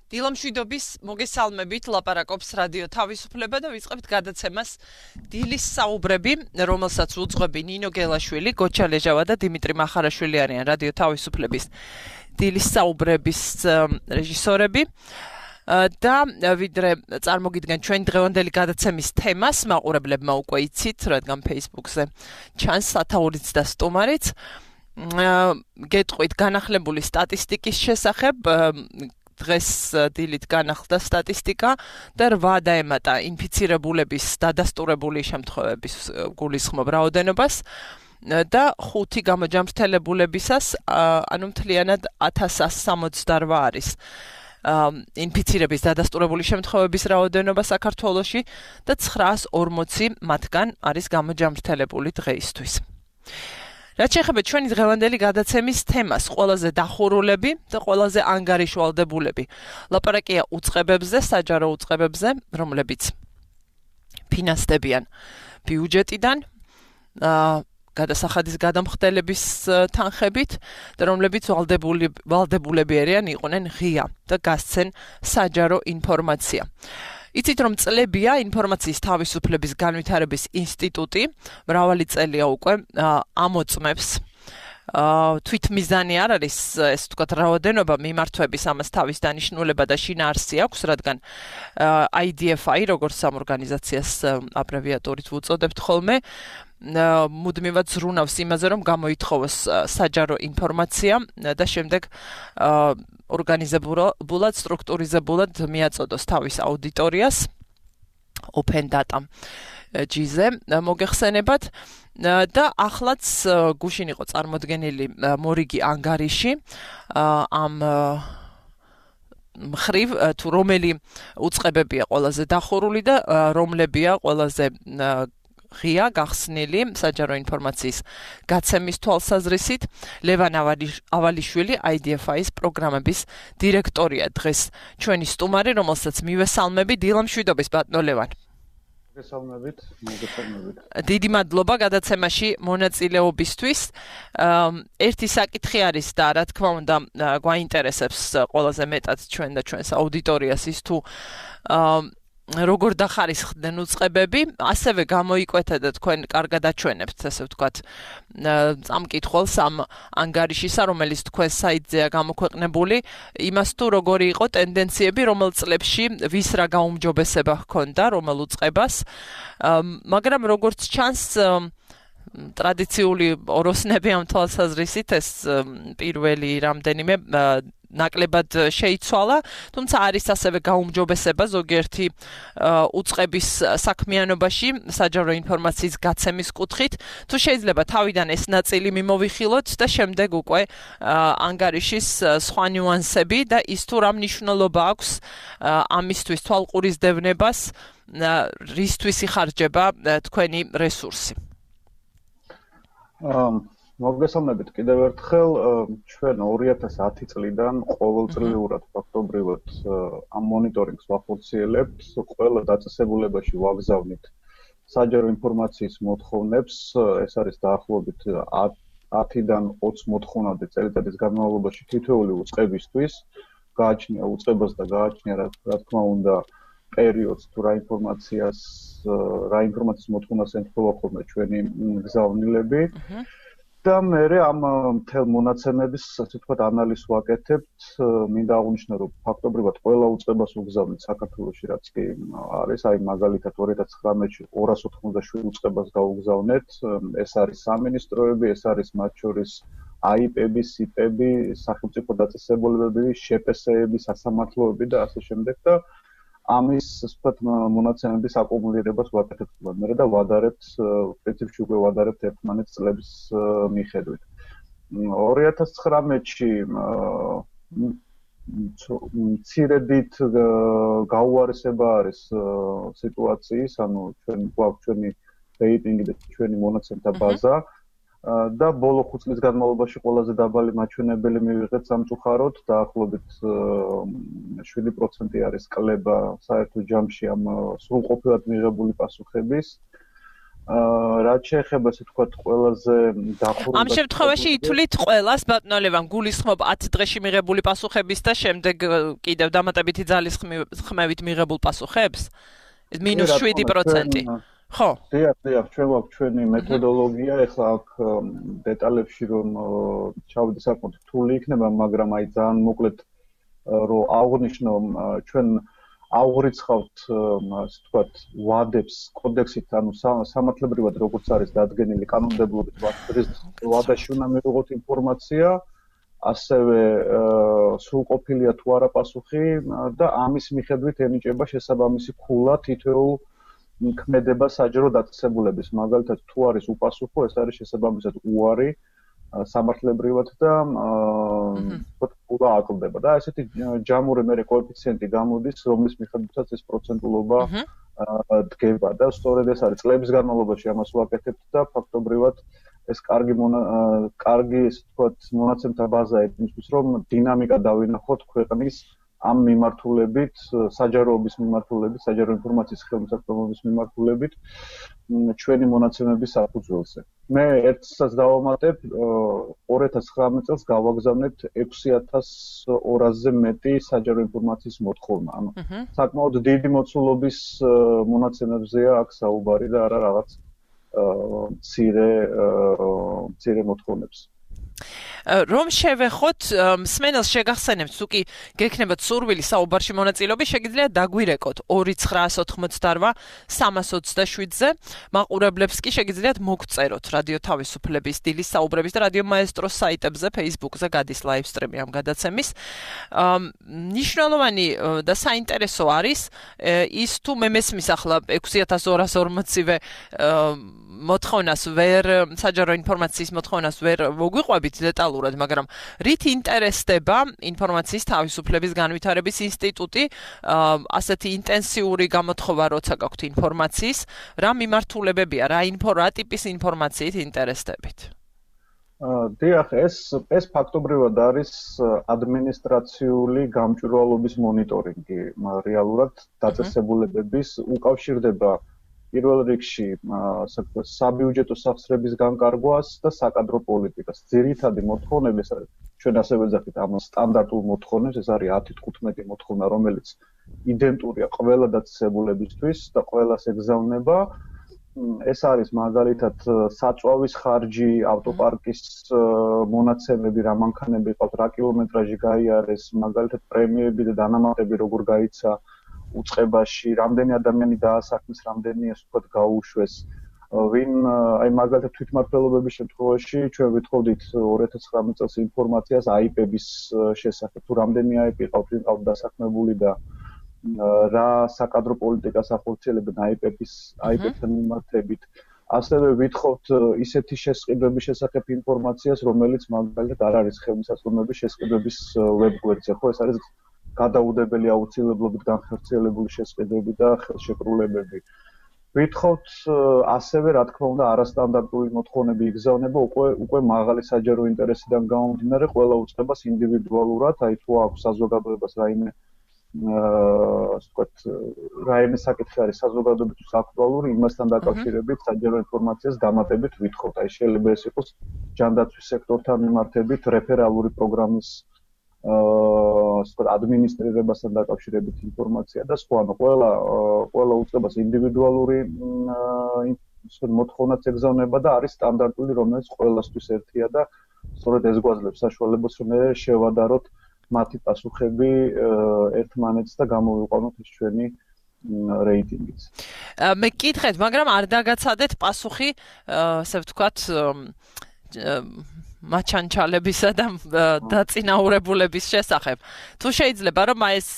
დილამშვიდობის მოგესალმებით, ლაპარაკობს რადიო თავისუფლება და ვიწყებთ გადაცემას დილის საუბრები, რომელსაც უძღვები ნინო გელაშვილი, გოჩა ლეჟავა და დიმიტრი მახარაშვილი არიან რადიო თავისუფლების დილის საუბრების რეჟისორები. და ვიდრე წარმოგიდგენ ჩვენ დღევანდელი გადაცემის თემას, მაყურებლებმა უკვე იცით, რადგან Facebook-ზე ჩანს სათაურიც და სტუმარიც. გეტყვით განახლებული სტატისტიკის შესახებ, დღეს დილით განახლდა სტატისტიკა და 8 დაემატა ინფიცირებულების დადასტურებული შემთხვევების გულისხმობ რაოდენობას და 5 გამოჯამრთელებულებისას, ანუ მთლიანად 1168 არის ინფიცირების დადასტურებული შემთხვევების რაოდენობა საქართველოში და 940 მათგან არის გამოჯამრთელებული დღეისთვის. რაც შეეხება ჩვენი დღევანდელი გადაცემის თემას, ყველაზე დახურულები და ყველაზე ანგარიშვალდებულები. ლაპარაკია უწყებებზე, საჯარო უწყებებზე, რომლებიც ფინანსდებიან ბიუჯეტიდან, გადასახადის გადამხდელების თანხებით და რომლებიც ვალდებულები არიან იყვნენ ღია და გასცენ საჯარო ინფორმაცია. იცით რომ წლებია ინფორმაციის თავისუფლების განვითარების ინსტიტუტი მრავალი წელია უკვე ამოწმებს თვითმიზანი არ არის ეს ვთქვათ რაოდენობა მიმართვების ამას თავის დანიშნულება და შინაარსი აქვს, რადგან IDFI როგორც ამ ორგანიზაციას აბრევიატურით ვუწოდებთ ხოლმე მუდმივად ზრუნავს იმაზე რომ გამოითხოვოს საჯარო ინფორმაცია და შემდეგ ორგანიზებულად, სტრუქტურიზებულად მიაწოდოს თავის აუდიტორიას open data G-ზე მოგეხსენებათ და ახლაც გუშინ იყო წარმოდგენილი მორიგი ანგარიში ამ მხრივ თუ რომელი უწყებებია ყველაზე დახურული და რომლებია ყველაზე ღია გახსნილი საჯარო ინფორმაციის გაცემის თვალსაზრისით. ლევან ავალიშვილი IDFI-ის პროგრამების დირექტორია დღეს ჩვენი სტუმარი, რომელსაც მივესალმები. დილამშვიდობის ბატონო ლევან. მოგესალმებით. დიდი მადლობა გადაცემაში მონაწილეობისთვის. ერთი საკითხი არის და რა თქმა უნდა გვაინტერესებს ყველაზე მეტად ჩვენ და ჩვენს აუდიტორიას ის თუ როგორ დახარისხდნენ უწყებები, ასევე გამოიკვეთა და თქვენ კარგად აჩვენებთ, ასე ვთქვათ, წამკითხველს ამ ანგარიშისა, რომელიც თქვენ საიტზეა გამოქვეყნებული, იმას თუ როგორი იყო ტენდენციები, რომელ წლებში ვის რა გაუმჯობესება ჰქონდა, რომელ უწყებას, მაგრამ როგორც ჩანს, ტრადიციული ოროსნები ამ თვალსაზრისით ეს პირველი რამდენიმე ნაკლებად შეიცვალა, თუმცა არის ასევე გაუმჯობესება ზოგიერთი უწყების საქმიანობაში საჯარო ინფორმაციის გაცემის კუთხით. თუ შეიძლება თავიდან ეს ნაწილი მიმოვიხილოთ და შემდეგ უკვე ანგარიშის სხვა ნიუანსები და ის თუ რა მნიშვნელობა აქვს ამისთვის თვალყურისდევნებას, რისთვის იხარჯება თქვენი რესურსი. მოგესალმებით კიდევ ერთხელ, ჩვენ 2010 წლიდან ყოველწლიურად ფაქტობრივად ამ მონიტორინგს ვახორციელებთ, ყველა დაწესებულებაში ვაგზავნით საჯარო ინფორმაციის მოთხოვნებს, ეს არის დაახლოებით 10-დან 20 მოთხოვნამდე წელიწადის განმავლობაში თითოეული უწყებისთვის, გააჩნია უწყებას და გააჩნია რა თქმა უნდა პერიოდს თუ რა ინფორმაციის მოთხოვნას ემთხვევა ხოლმე ჩვენი გზავნილები. და მე ამ მთელ მონაცემების, ასე ვთქვათ, ანალიზს ვაკეთებთ. მინდა აღვნიშნო, რომ ფაქტობრივად ყველა უწყებას ვგზავნით საქართველოში, რაც კი არის, აი მაგალითად 2019-ში 287 უწყებას გავუგზავნეთ. ეს არის სამინისტროები, ეს არის მათ შორის AIP-ები, SIP-ები, სახელმწიფო დაწესებულებები, შეპესეები, სასამართლოები და ასე შემდეგ და ამის ვთქვათ მონაცემების აკუმულირებას ვაკეთებთ მე და ვადარებთ პრინციპში უკვე ვადარებთ ერთმანეთს წლების მიხედვით. 2019-ში მცირედით გაუარესება არის სიტუაციის, ანუ ჩვენ გვაქვს ჩვენი რეიტინგი და ჩვენი მონაცემთა ბაზა და ბოლო 5 წლის განმავლობაში ყველაზე დაბალი მაჩვენებელი მივიღეთ სამწუხაროდ, დაახლოებით 7% არის კლება საერთო ჯამში ამ სრულყოფილად მიღებული პასუხების რაც შეეხება ასე ვთქვათ ყველაზე დახურულ ამ შემთხვევაში ითვლით ყველას ბატონო ლევან გულისხმობ 10 დღეში მიღებული პასუხების და შემდეგ კიდევ დამატებითი ძალის ხმევით მიღებულ პასუხებს? ეს -7%. ხო. დიახ, ჩვენ გვაქვს ჩვენი მეთოდოლოგია, ეხლა აქ დეტალებში რომ ჩავდე საკმაოდ რთული იქნება, მაგრამ აი ძალიან მოკლედ რომ აღვნიშნო ჩვენ აღვრიცხავთ ასე ვთქვათ ვადებს კოდექსით, ანუ სამართლებრივად როგორც არის დადგენილი კანონმდებლობით, ვადაში უნდა მივიღოთ ინფორმაცია, ასევე სრულყოფილია თუ არა პასუხი და ამის მიხედვით ენიჭება შესაბამისი ქულა თითოეულ ქმედება საჯარო დაწესებულების, მაგალითად თუ არის უპასუხო, ეს არის შესაბამისად უარი სამართლებრივად და ქულა აკლდება და ესეთი ჯამური მერე კოეფიციენტი გამოდის, რომლის მიხედვითაც ეს პროცენტულობა დგება და სწორედ ეს არის წლების განმავლობაში ამას ვაკეთებთ და ფაქტობრივად ეს კარგი ესე ვთქვათ მონაცემთა ბაზაა იმისთვის, რომ დინამიკა დავინახოთ ქვეყნის ამ მიმართულებით, საჯაროობის მიმართულებით, საჯარო ინფორმაციის ხელმისაწვდომობის მიმართულებით ჩვენი მონაცემების საფუძველზე. მე ერთსაც დავამატებ, 2019 წელს გავაგზავნეთ 6200-ზე მეტი საჯარო ინფორმაციის მოთხოვნა. ანუ საკმაოდ დიდი მოცულობის მონაცემებზეა აქ საუბარი და არა რაღაც მცირე მოთხოვნებს. რომ შევეხოთ მსმენელს შეგახსენებთ თუ კი გექნებათ სურვილი საუბარში მონაწილეობის შეგიძლიათ დაგვირეკოთ 2988-327-ზე მაყურებლებს კი შეგიძლიათ მოგწეროთ რადიო თავისუფლების დილის საუბრების და რადიო მაესტროს საიტებზე Facebook-ზე გადის live stream-ი ამ გადაცემის ნიშნულოვანი და საინტერესო არის ის თუ მე მესმის ახლა 6240-ვე მოთხოვნას ვერ საჯარო ინფორმაციის მოთხოვნას ვერ მოგვიყვებით დეტალურად, მაგრამ რით ინტერესდება ინფორმაციის თავისუფლების განვითარების ინსტიტუტი ასეთი ინტენსიური გამოთხოვა როცა გაქვთ ინფორმაციის, რა მიმართულებებია, რა ტიპის ინფორმაციით ინტერესდებით? დიახ, ეს ფაქტობრივად არის ადმინისტრაციული გამჭვირვალობის მონიტორინგი, რეალურად დაწესებულებების უკავშირდება პირველ რიგში საბიუჯეტო სახსრების განკარგვას და საკადრო პოლიტიკას. ძირითადი მოთხოვნები ეს არის. ჩვენ ასე ვეძახით ამ სტანდარტულ მოთხოვნებს, ეს არის 10-15 მოთხოვნა, რომელიც იდენტურია ყველა დაწესებულებისთვის და ყველას ეგზავნება. ეს არის მაგალითად საწვავის ხარჯი, ავტოპარკის მონაცემები, რა მანქანები ყავთ, რა კილომეტრაჟი გაიარეს, მაგალითად პრემიები და დანამატები როგორ გაიცა უწყებაში, რამდენი ადამიანი დაასაქმეს, რამდენი ასე ვთქვათ გაუშვეს. ვინ აი მაგალითად თვითმმართველობების შემთხვევაში ჩვენ ვითხოვდით 2019 წელს ინფორმაციას აიპების შესახებ, თუ რამდენი აიპი ყავთ, ვინ ყავთ დასაქმებული და რა საკადრო პოლიტიკას ახორციელებენ აიპებთან მიმართებით. ასევე ვითხოვთ ისეთი შესყიდვების შესახებ ინფორმაციას, რომელიც მაგალითად არ არის ხელმისაწვდომობის შესყიდვების ვებგვერდზე, ხო, ეს არის გადაუდებელი აუცილებლობით განხორციელებული შესყიდვები და ხელშეკრულებები. ვითხოვთ ასევე, რა თქმა უნდა, არასტანდარტული მოთხოვნები იგზავნება უკვე მაღალი საჯარო ინტერესიდან გამომდინარე ყველა უწყებას ინდივიდუალურად, აი თუ აქვს საზოგადოებას რაიმე რაიმე საკითხი არის საზოგადოებისთვის აქტუალური, იმასთან დაკავშირებით საჯარო ინფორმაციას დამატებით ვითხოვთ. აი შეიძლება ეს იყოს ჯანდაცვის სექტორთან მიმართებით რეფერალური პროგრამის ადმინისტრირებასთან დაკავშირებით ინფორმაცია და სხვა, ანუ ყველა უწყებას ინდივიდუალური მოთხოვნაც ეგზავნება და არის სტანდარტული, რომელიც ყველასთვის ერთია და სწორედ ეს გვაძლევს საშუალებას, რომ შევადაროთ მათი პასუხები ერთმანეთს და გამოვიყვანოთ ეს ჩვენი რეიტინგიც. მე გკითხეთ, მაგრამ არ დაგაცადეთ პასუხი, ასე ვთქვათ, მაჩანჩალებისა და დაწინაურებულების შესახებ. თუ შეიძლება რომ ეს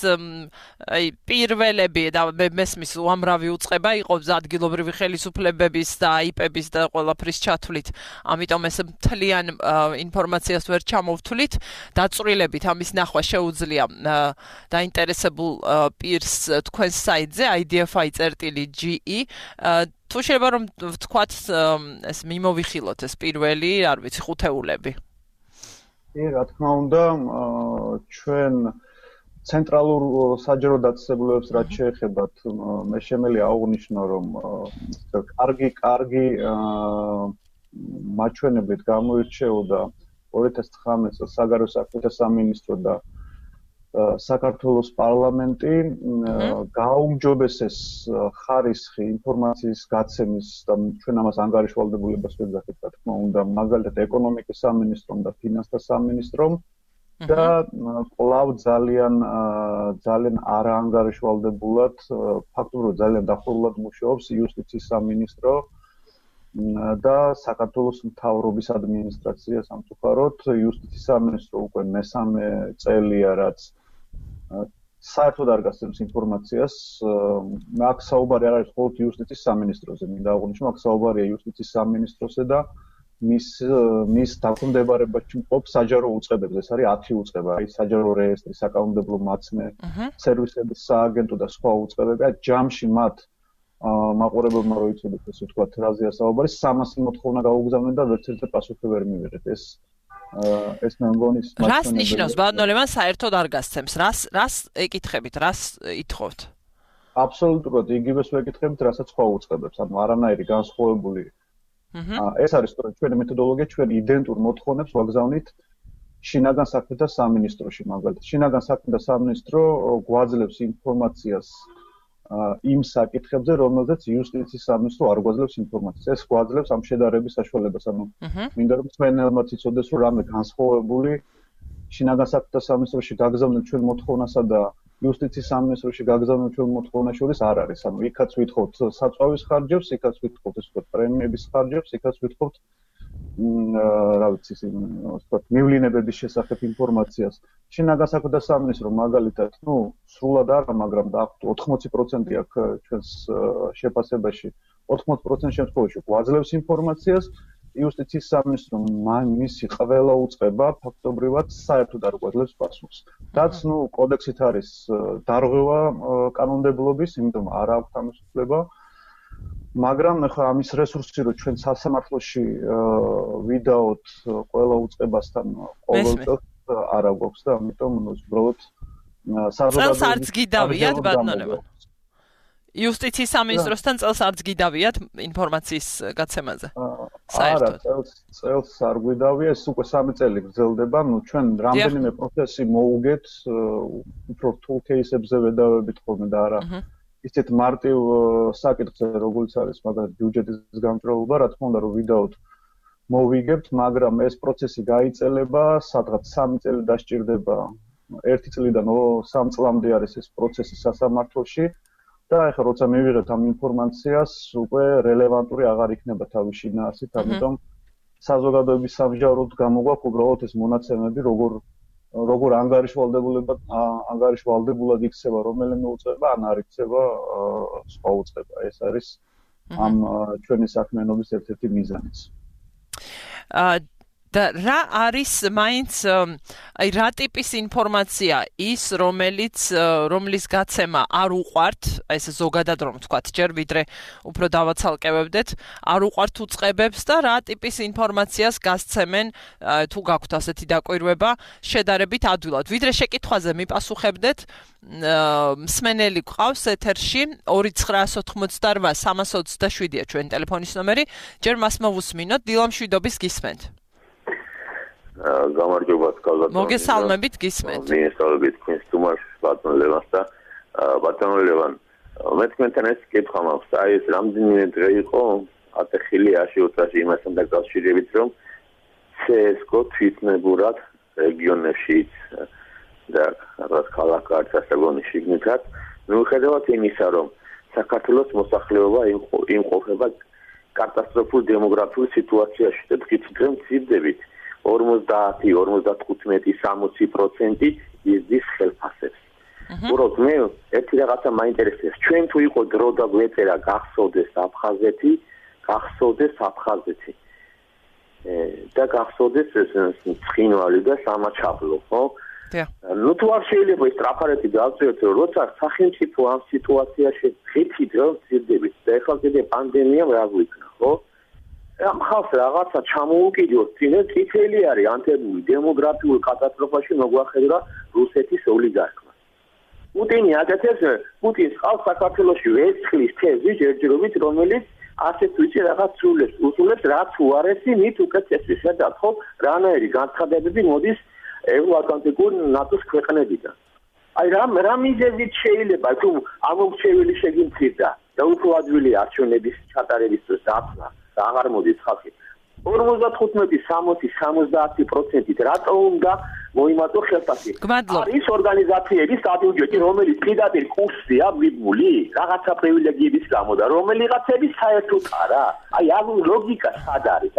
პირველები და მესმის უამრავი უწყება იყოს ადგილობრივი ხელისუფლებების და აიპების და ყველაფრის ჩათვლით, ამიტომ ეს მთლიან ინფორმაციას ვერ ჩამოვთვლით, დაწვრილებით ამის ნახვა შეუძლია დაინტერესებულ პირს თქვენს საიტზე idfi.ge თუ შეიძლება რომ ვთქვათ ეს მიმოვიხილოთ ეს პირველი, არ ვიცი, ხუთეულები. რა თქმა უნდა, ჩვენ ცენტრალურ საჯარო დაწესებულებებს რაც შეეხებათ, მე შემიძლია აღვნიშნო, რომ კარგი მაჩვენებლით გამოირჩეოდა 2019 წელს საგარეო საქმეთა სამინისტრო და საქართველოს პარლამენტი გააუმჯობესეს ხარისხი ინფორმაციის გაცემის და ჩვენ ამას ანგარიშვალდებულებას ვეძახით, რა თქმა უნდა, მაგალითად ეკონომიკის სამინისტრომ და ფინანსთა სამინისტრომ და კვლავ ძალიან არაანგარიშვალდებულად, ფაქტობრივად ძალიან დახურულად მუშაობს იუსტიციის სამინისტრო და საქართველოს მთავრობის ადმინისტრაცია სამწუხაროდ იუსტიციის სამინისტრო უკვე მესამე წელია რაც საერთოდ არ გასცემს ინფორმაციას. აქ საუბარი არ არის მხოლოდ იუსტიციის სამინისტროზე, მინდა აღვნიშნო, აქ საუბარია იუსტიციის სამინისტროზე და მის დაქვემდებარებაში მყოფ საჯარო უწყებებზე. ეს არის 10 უწყება, აი საჯარო რეესტრი, საკანონმდებლო მაცნე, სერვისების სააგენტო და სხვა უწყებები. ჯამში მათ მაყურებელმა რო იცოდეთ, ესე ვთქვათ, რაზეა საუბარი, 300 მოთხოვნა გაუგზავნეს და ვერც ერთი პასუხი ვერ მივიღეთ. ეს მე მგონი რას ნიშნავს ბატონო ლევან საერთოდ არ გასცემს? რას ეკითხებით, რას ითხოვთ? აბსოლუტურად იგივეს ვეკითხებით, რასაც სხვა უწყებებს, ანუ არანაირი განსხვავებული. ეს არის სწორედ ჩვენი მეთოდოლოგია, ჩვენ იდენტურ მოთხოვნებს ვაგზავნით შინაგან საქმეთა სამინისტროში, მაგალითად. შინაგან საქმეთა სამინისტრო გვაძლევს ინფორმაციას იმ საკითხებზე, რომელზეც იუსტიციის სამინისტრო არ გვაძლევს ინფორმაციას. ეს გვაძლევს ამ შედარების საშუალებას, ანუ მინდა რომ თქვენებმაც იცოდეს, რომ რამე განსხვავებული შინაგან საქმეთა სამინისტროში გაგზავნილ ჩვენ მოთხოვნასა და იუსტიციის სამინისტროში გაგზავნილ ჩვენ მოთხოვნას შორის არ არის. ანუ იქაც ვითხოვთ საწვავის ხარჯებს, იქაც ვითხოვთ ესე ვთქვათ პრემიების ხარჯებს, იქაც ვითხოვთ რა ვიცი, ვთქვათ მივლინებების შესახებ ინფორმაციას. შინაგან საქმეთა სამინისტრო მაგალითად, სრულად არა, მაგრამ დაახლოებით 80% აქ ჩვენს შეფასებაში 80% შემთხვევაში გვაძლევს ინფორმაციას. იუსტიციის სამინისტრო მისი ყველა უწყება ფაქტობრივად საერთოდ არ გვაძლევს პასუხს. რაც კოდექსით არის დარღვევა კანონმდებლობის, იმიტომ არ აქვს ამის უფლება. მაგრამ ახლა ამის რესურსი რო ჩვენ სასამართლოში ვიდაოთ ყველა უწყებასთან ყოველ წელს არა გვაქვს და ამიტომ უბრალოდ წელს არც გიდავიათ ბატონო ლევან. იუსტიციის სამინისტროსთან წელს არც გიდავიათ ინფორმაციის გაცემაზე. არა, წელს არ გვიდავია, ეს უკვე 3 წელი გრძელდება. ჩვენ რამდენიმე პროცესი მოუგეთ, უფრო რთულ кейსებზე ვედავებით ხოლმე და არა ისეთ მარტივ საკითხზე, როგორც არის მაგალითად ბიუჯეტის გამჭრელობა, რა თქმა უნდა, რომ ვიდაოთ მოვიგებთ, მაგრამ ეს პროცესი გაიწელება, სადღაც 3 წელი დასჭირდება. 1 წლიდან 3 წლამდე არის ეს პროცესი სასამართლოში. და ახლა როცა მივიღეთ ამ ინფორმაციას, უკვე რელევანტური აღარ იქნება თავის შინაარსით, ამიტომ საზოგადოების სამსჯავროდ გამოგვაქვს უბრალოდ ეს მონაცემები, როგორ ანგარიშვალდებულად იქცევა რომელიმე უწყება, ან არ იქცევა სხვა უწყება. ეს არის ამ ჩვენი საქმიანობის ერთ-ერთი მიზანიც. და რა არის მაინც აი რა ტიპის ინფორმაცია ის რომლის გაცემა არ უყვართ, ეს ზოგადად რომ ვთქვათ, ჯერ ვიდრე უფრო დავაცალკევებდეთ, არ უყვართ უწყებებს და რა ტიპის ინფორმაციას გასცემენ თუ გაქვთ ასეთი დაკვირვება შედარებით ადვილად. ვიდრე შეკითხვაზე მიპასუხებდეთ, მსმენელი გყავს ეთერში 2988 327-ია ჩვენი ტელეფონის ნომერი, ჯერ მას მოვუსმინოთ, დილა მშვიდობის გისმენთ. გამარჯობა კალბატონო. მოგესალმებით, გისმენთ. მინესალმებით თქვენს თუმარს ბატონო ლევანს და ბატონო ლევან, მე თქვენთან ეს კითხვა მაქვს, აი ეს რამდენიმე დღე იყო ატეხილი აშიოცაში იმასთან დაკავშირებით, რომ CSGO თვითნებურად რეგიონებშიც და რაღაც ქალაქ-კარტ ასაგონის შიგნითაც, მიუხედავად იმისა, რომ საქართველოს მოსახლეობა იმყოფება კატასტროფულ დემოგრაფიულ სიტუაციაში და თქვით რომ მცირდებით 50-55-60% იზრდის ხელფასებს. უბრალოდ მე ერთი რაღაცა მაინტერესებს. ჩვენ თუ იყო დრო და გვეწერა გახსოვდეს აფხაზეთი და გახსოვდეს ეს ცხინვალი და სამაჩაბლო, ხო? თუ არ შეიძლება ეს ტრაფარეთი დავწეროთ, რომ როცა სახელმწიფო ამ სიტუაციაში ღირთით რომ მცირდებით და ეხლა კიდე პანდემიამ რა გვიქნა, ხო? ამ ხალხს რაღაცა ჩამოუკიდოთ, წითელი არის ანთებული დემოგრაფიულ კატასტროფაში მოგვახედა რუსეთის ოლიგარქმა. პუტინი აკეთებს პუტინს ყავს საქართველოში ვერცხლის თეზი ჯერჯერობით რომელიც ასეთ ვიცი რაღაც სულებს რაც უარესი მით უკეთესი შედათ ხო რანაირი განცხადებები მოდის ევროატლანტიკურ ნატოს ქვეყნებიდან აი რა მიზეზით შეიძლება თუ ამორჩეველი შეგიმცირდა და უფრო ადვილი არჩევნების ჩატარების დროს დაფლა და აღარ მოდის ხალხი 55-60-70%-ით რატო უნდა მოიმატო ხელფასი არის ორგანიზაციების სტატუტი რომელიც პირდაპირ კურსია მიბმული რაღაცა პრივილეგიების გამო და რომელიღაცების საერთოდ არა აი ამ ლოგიკა სად არის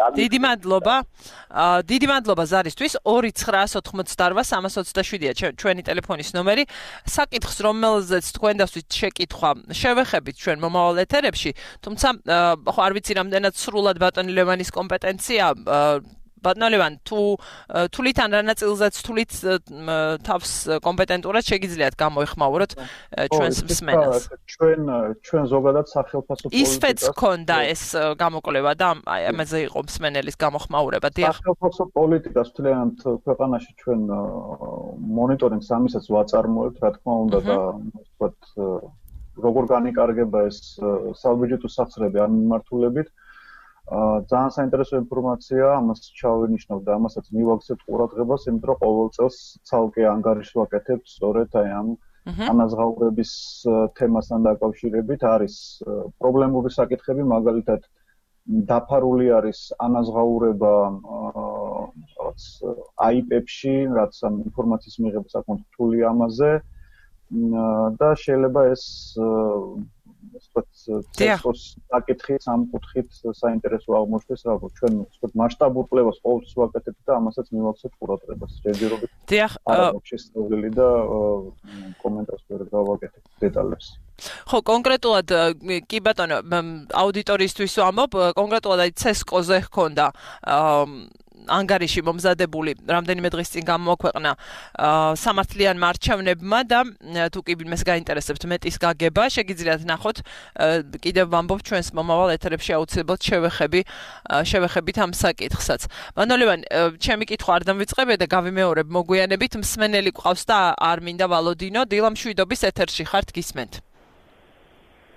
დიდი მადლობა ზარისთვის 2988327-ია ჩვენი ტელეფონის ნომერი საკითხს რომელზეც თქვენ დასვით შეკითხვა შევეხებით ჩვენ მომავალ ეთერებში თუმცა ხო არ ვიცი რამდენად სრულად ბატონი ლევანის კომპეტენცია ბატონო ლევან თულით ან რა ნაწილზეც თულით თავს კომპეტენტურად შეგიძლიათ გამოეხმაუროთ ჩვენს მსმენელს ჩვენ ზოგადად სახელმწიფო პოლიტიკას ისფეც ქონდა ეს გამოკვლევა და ამაზე იყო მსმენელის გამოხმაურება დიახ სახელმწიფო პოლიტიკას მთლიანად ქვეყანაში ჩვენ მონიტორინგს ამისაც ვაწარმოებთ რა თქმა უნდა და ვთქვათ როგორ განიკარგება ეს საბიუჯეტო სახსრები ამ მიმართულებით ძალიან საინტერესო ინფორმაცია ამას ჩავინიშნავ და ამასაც მივაქცევთ ყურადღებას იმიტომ რომ ყოველ წელს ცალკე ანგარიშს ვაკეთებთ სწორედ აი ამ ანაზღაურების თემასთან დაკავშირებით არის პრობლემური საკითხები მაგალითად დაფარული არის ანაზღაურება რაღაც აიპებში რაც ამ ინფორმაციის მიღება საკმაოდ რთული ამაზე და შეიძლება ეს ცეცხლოს საკითხით ამ კუთხით საინტერესო აღმოჩნდეს რაღაც ჩვენ ვთქვათ მასშტაბურ კვლევას ყოველთვის ვაკეთებთ და ამასაც მივაქცევთ ყურადღებას ჯერჯერობით დიახ შესწავლილი და კომენტარს ვერ გავაკეთებ დეტალებს ხო კონკრეტულად კი ბატონო აუდიტორიისთვის ვამბობ კონკრეტულად აი ცესკოზე ჰქონდა ანგარიში მომზადებული რამდენიმე დღის წინ გამოაქვეყნა სამართლიანმა არჩევნებმა და თუ კი ვინმეს გაინტერესებთ მეტის გაგება შეგიძლიათ ნახოთ კიდევ ვამბობ ჩვენს მომავალ ეთერებში აუცილებლად შევეხებით ამ საკითხსაც ბატონო ლევან ჩემი კითხვა არ დამვიწყებია და გავიმეორებ მოგვიანებით მსმენელი გვყავს და არ მინდა ვალოდინო დილა მშვიდობის ეთერში ხართ გისმენთ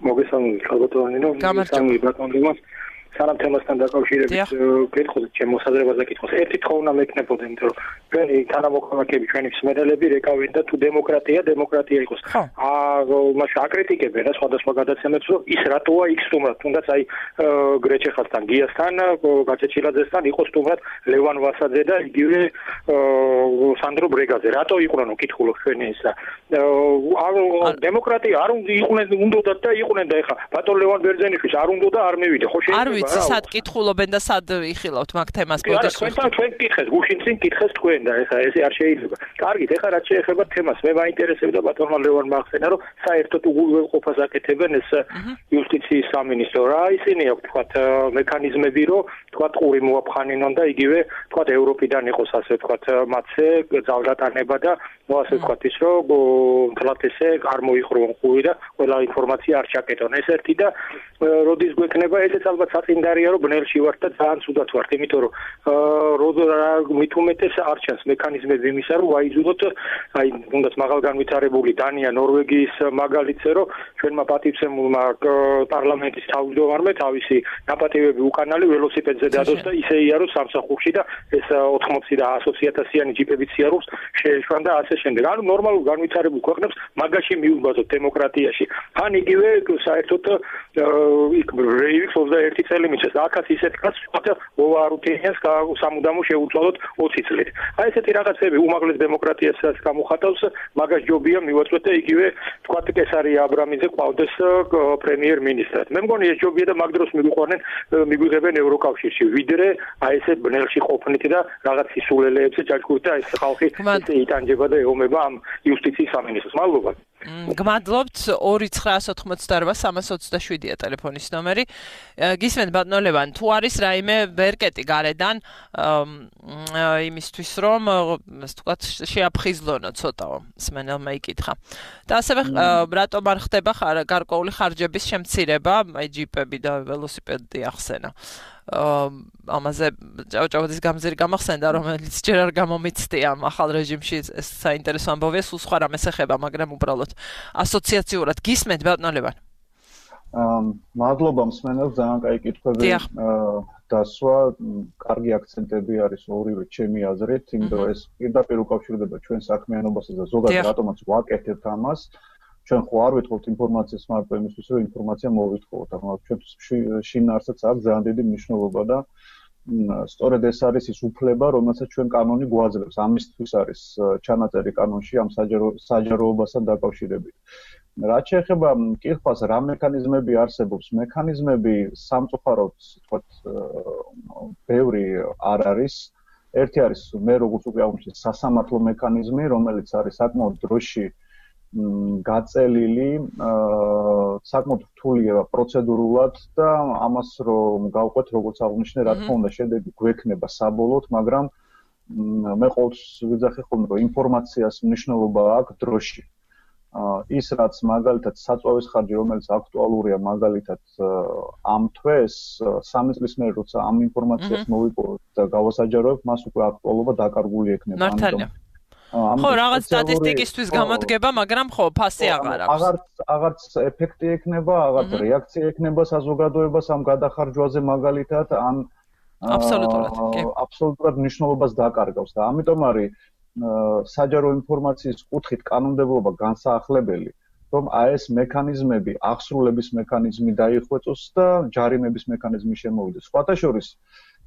მოგესალმებით ქალბატონინო გამარჯობა ბატონო სანამ თემასთან დაკავშირებით კითხოს ჩემ მოსაზრებაზე კითხოს ერთი თქო უნდა მეკნებოდა იმიტომ რომ ჩვენი თანამოქალაქეები ჩვენი მსმენელები რეკავენ და თუ დემოკრატია იყოს მაშინ აკრიტიკებენ რა სხვადასხვა გადაცემებს რომ ის რატოა იქ სტუმრად თუნდაც აი გრეჩეხასთან გიასთან გაჩეჩილაძესთან იყო სტუმრად ლევან ვასაძე და იგივე სანდრო ბრეგაძე რატო იყვნენ კითხულობ ჩვენი ისა დემოკრატია არ უნდათ და იყვნენ და ეხა ბატონ ლევან ბერძენიშვილს არ უნდა და არ მივიდა ხო შეიძლება სად კითხულობენ და სად იხილავთ მაგ თემას ბოდიშს ჩვენ კითხეს გუშინ წინ კითხეს თქვენ და ეხა ესე არ შეიძლება კარგით ეხა რაც შეეხება თემას მე მაინტერესებდა ბატონმა ლევანმა ახსენა რომ საერთოდ უღელყოფას აკეთებენ ეს იუსტიციის სამინისტრო რა ისინი აქვს თქვათ მექანიზმები რომ თქვათ ყური მოაფხანინონ და იგივე თქვათ ევროპიდან იყოს ასე თქვათ მათზე ძალდატანება და ასე თქვათ ის რომ თლათ ესე არ მოიხრონ ყური და ყველა ინფორმაცია არ ჩაკეტონ ეს ერთი და როდის გვექნება ესეც ალბათ საწინდარია რომ ბნელში ვართ და ძალიან ცუდად ვართ იმიტომ რომ მით უმეტეს არ ჩანს მექანიზმები იმისა რომ ვაიძულოთ აი თუნდაც მაღალ განვითარებული დანია ნორვეგიის მაგალითზე რომ ჩვენმა პატივცემულმა პარლამენტის თავმჯდომარემ თავისი ნაპატივები უკანალი ველოსიპედზე დადოს და ისე იაროს სამსახურში და ეს 80 და 100,000-იანი ჯიპებით სიარულს შეეშვან და ასე შემდეგ ანუ ნორმალურ განვითარებულ ქვეყნებს მაგაში მიუბაზოთ დემოკრატიაში ან იგივე საერთოდ იქ რეივის 21 წელი მიწეს და აქაც ისეთ კაც ვარუთინეს სამუდამო შეუწოდოთ 20 წლით. აი ესეთი რაღაცები უმაღლეს დემოკრატიასაც გამოხატავს, მაგას ჯობია მივაწვეთ და იგივე თქვა კესარია აბრამიძე ყავდეს პრემიერ-მინისტრად. მე მგონი ეს ჯობია და მაგ დროს მიგვიღებენ ევროკავშირში, ვიდრე აი ესეთ ბნელში ყოფნით და რაღაც სისულელეებზე ჯაჭვურით და ეს ხალხი იტანჯება და ეომება ამ იუსტიციის სამინისტროს. მადლობა. გმადლობთ 2988327-ია ტელეფონის ნომერი. გისმენთ ბატონო ლევან, თუ არის რაიმე ვერკეტი გარედან იმისთვის რომ ასე ვთქვათ შეაფხიზლონო ცოტაო მსმენელმა იკითხა. და ასევე რატომ არ ხდება გარკვეული ხარჯების შემცირება, აი ჯიპები და ველოსიპედი ახსენა. ამაზე ჭავჭავაძის გამზირი გამახსენდა რომელიც ჯერ არ გამომიცდია ამ ახალ რეჟიმში ეს საინტერესო ამბავია სულ სხვა რამეს ეხება მაგრამ უბრალოდ ასოციაციურად გისმენთ ბატონო ლევან? მადლობა მსმენელს, ძალიან კაი კითხვები დასვა, კარგი აქცენტები არის ორივე ჩემი აზრით, იმიტომ რომ ეს პირდაპირ უკავშირდება ჩვენ საქმიანობასაც და ზოგადად რატომაც ვაკეთებთ ამას. ჩვენ ხო არ ვითხოვთ ინფორმაციას მარტო იმისთვის, რომ ინფორმაცია მოვითხოვოთ, მაგრამ ჩვენთვის შინაარსიც აქვს ძალიან დიდი მნიშვნელობა და სწორედ ეს არის ის უფლება, რომელსაც ჩვენ კანონი გვაძლევს. ამისთვის არის ჩანაწერი კანონში ამ საჯაროობასთან დაკავშირებით. რაც შეეხება კითხვას, რა მექანიზმები არსებობს? მექანიზმები სამწუხაროდ, თქვათ, ბევრი არ არის. ერთი არის მე როგორც უკვე აღმოჩნდა სასამართლო მექანიზმი, რომელიც არის საკმაოდ დროში გაწელილი, საკმაოდ რთულია პროცედურულად და ამას რომ გავყვეთ, როგორც აღნიშნე, რა თქმა უნდა, შედეგი გვექნება საბოლოოდ, მაგრამ მე ყოველთვის ვიძახი ხოლმე, რომ ინფორმაციას მნიშვნელობა აქვს დროში. ის რაც მაგალითად საწვავის ხარჯი, რომელიც აქტუალურია მაგალითად ამ თვეს, 3 წლის მერე როცა ამ ინფორმაციას მოვიპოვოთ და გავასაჯაროებთ, მას უკვე აქტუალობა დაკარგული ექნება. მართალია. ხო, რაღაც სტატისტიკისთვის გამოდგება, მაგრამ ხო, ფასი აღარ აქვს. აღარც ეფექტი ექნება, აღარც რეაქცია ექნება საზოგადოებას ამ გადახარჯვაზე მაგალითად, ან აბსოლუტურად მნიშვნელობას დაკარგავს და ამიტომ არის საჯარო ინფორმაციის კუთხით კანონმდებლობა განსაახლებელი, რომ ეს მექანიზმები, აღსრულების მექანიზმი დაიხვეწოს და ჯარიმების მექანიზმი შემოვიდეს. სხვათა შორის,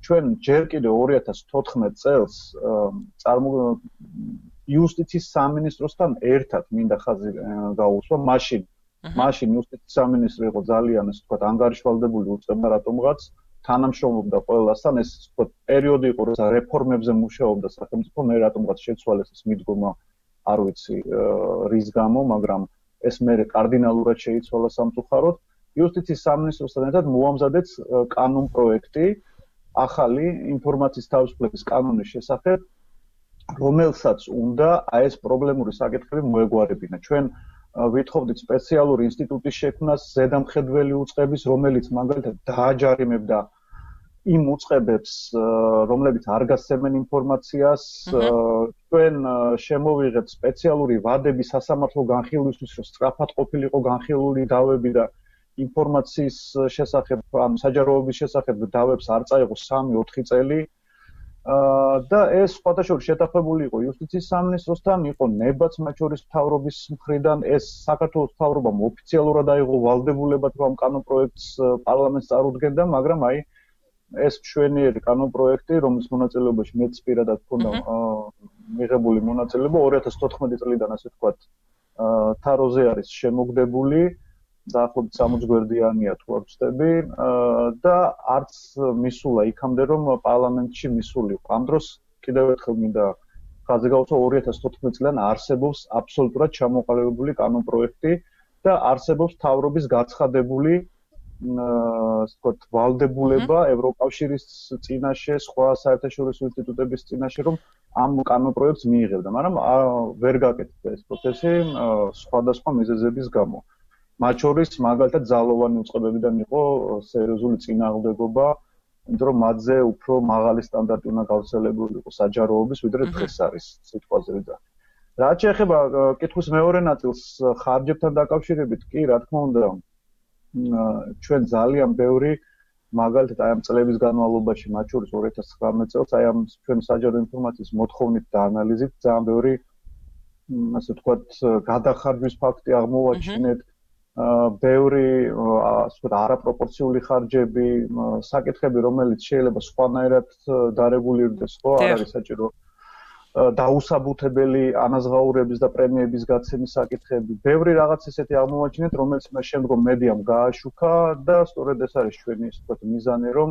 ჩვენ ჯერ კიდევ 2014 წელს იუსტიციის სამინისტროსთან ერთად მინდა ხაზი გაუსვა, მაშინ იუსტიციის სამინისტრო იყო ძალიან, ასე ვთქვათ, ანგარიშვალდებული უწყება რატომღაც თანამშრომლობდა ყველასთან, ეს ვთქვათ, პერიოდი იყო, როცა რეფორმებზე მუშაობდა სახელმწიფო, მე რატომღაც შეცვალეს ეს მიდგომა, არ ვიცი რის გამო, მაგრამ ეს მე კარდინალურად შეიცვალა სამწუხაროდ. იუსტიციის სამინისტროსთან ერთად მოამზადეთ კანონპროექტი ახალი ინფორმაციის თავისუფლების კანონის შესახებ, რომელსაც უნდა ეს პრობლემური საკითხები მოეგვარებინა. ჩვენ ვითხოვდით სპეციალური ინსტიტუტის შექმნას ზედამხედველი უწყების, რომელიც მაგალითად დააჯარიმებდა იმ უწყებებს, რომლებიც არ გასცემენ ინფორმაციას, ჩვენ შემოვიღეთ სპეციალური ვადები სასამართლო განხილვისთვის, რომ სწრაფად ყოფილიყო განხილული დავები და ინფორმაციის შესახებ, ან საჯაროობის შესახებ დავებს არ წაიღო 3-4 წელი. და ეს სხვათა შორის შეთანხმებული იყო იუსტიციის სამინისტროსთან, იყო ნებაც მათ შორის მთავრობის მხრიდან, ეს საქართველოს მთავრობამ ოფიციალურად აიღო ვალდებულებად, რომ ამ კანონპროექტს პარლამენტს წარუდგენდა, მაგრამ აი ეს მშვენიერი კანონპროექტი, რომლის მონაწილეობაში მეც პირადად მქონდა მიღებული მონაწილეობა 2014 წლიდან, ასე ვთქვათ, თაროზე არის შემოგდებული. დაახლოებით 60 გვერდიანია თუ არ ვცდები და არც მისულა იქამდე რომ პარლამენტში მისულიყო. ამ დროს კიდევ ერთხელ მინდა ხაზი გავუსვა 2014 წლიდან არსებობს აბსოლუტურად ჩამოყალიბებული კანონპროექტი და არსებობს მთავრობის გაცხადებული ვთქვათ ვალდებულება ევროკავშირის წინაშე, სხვა საერთაშორისო ინსტიტუტების წინაშე, რომ ამ კანონპროექტს მიიღებდა, მაგრამ ვერ გაკეთდა ეს პროცესი სხვადასხვა მიზეზების გამო. მათ შორის მაგალითად ძალოვანი უწყებებიდან იყო სერიოზული წინააღმდეგობა, იმიტომ რომ მათზე უფრო მაღალი სტანდარტი უნდა გავრცელებულიყო საჯაროობის, ვიდრე დღეს არის სიტყვაზე ვიძახი. რაც შეეხება კითხვის მეორე ნაწილს ხარჯებთან დაკავშირებით, კი, რა თქმა უნდა, ჩვენ ძალიან ბევრი მაგალითად აი ამ წლების განმავლობაში, მათ შორის 2019 წელს, აი ამ ჩვენ საჯარო ინფორმაციის მოთხოვნით და ანალიზით ძალიან ბევრი ასე ვთქვათ, გადახარჯვის ფაქტი აღმოვაჩინეთ. ბევრი ასე ვთქვათ არაპროპორციული ხარჯები, საკითხები, რომელიც შეიძლება სხვანაირად დარეგულირდეს, ხო, არ არის საჭირო დაუსაბუთებელი ანაზღაურების და პრემიების გაცემის საკითხები. ბევრი რაღაც ისეთი აღმოვაჩინეთ, რომელიც მე შემდგომ მედიამ გააშუქა და სწორედ ეს არის ჩვენი ასე ვთქვათ მიზანი, რომ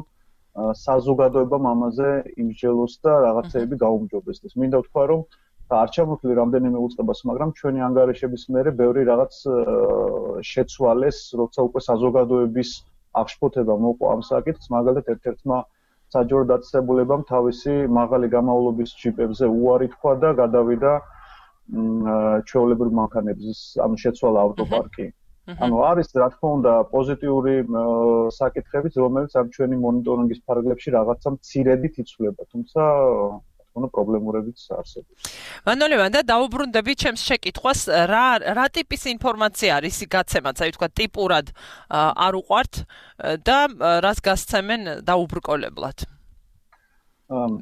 საზოგადოებამ ამაზე იმსჯელოს და რაღაცეები გაუმჯობესდეს. მინდა ვთქვა, რომ არ ჩამოთვლი რამდენიმე უწყებას, მაგრამ ჩვენი ანგარიშების მერე ბევრი რაღაც შეცვალეს, როცა უკვე საზოგადოების აღშფოთება მოყვა ამ საკითხს, მაგალითად ერთ-ერთმა საჯარო დაწესებულებამ თავისი მაღალი გამავლობის ჯიპებზე უარი თქვა და გადავიდა ჩვეულებრივ მანქანების, ანუ შეცვალა ავტოპარკი. ანუ არის რა თქმა უნდა პოზიტიური საკითხებიც, რომელიც ამ ჩვენი მონიტორინგის ფარგლებში რაღაცა მცირედით იცვლება, თუმცა თქო, პრობლემურებიც არსებობს. მანოლევან და დაუბრუნდები ჩემს შეკითხვას, რა ტიპის ინფორმაცია არის გაცემაც, აი თქვა ტიპურად არ უყვართ და რას გასცემენ დაუბრკოლებლად?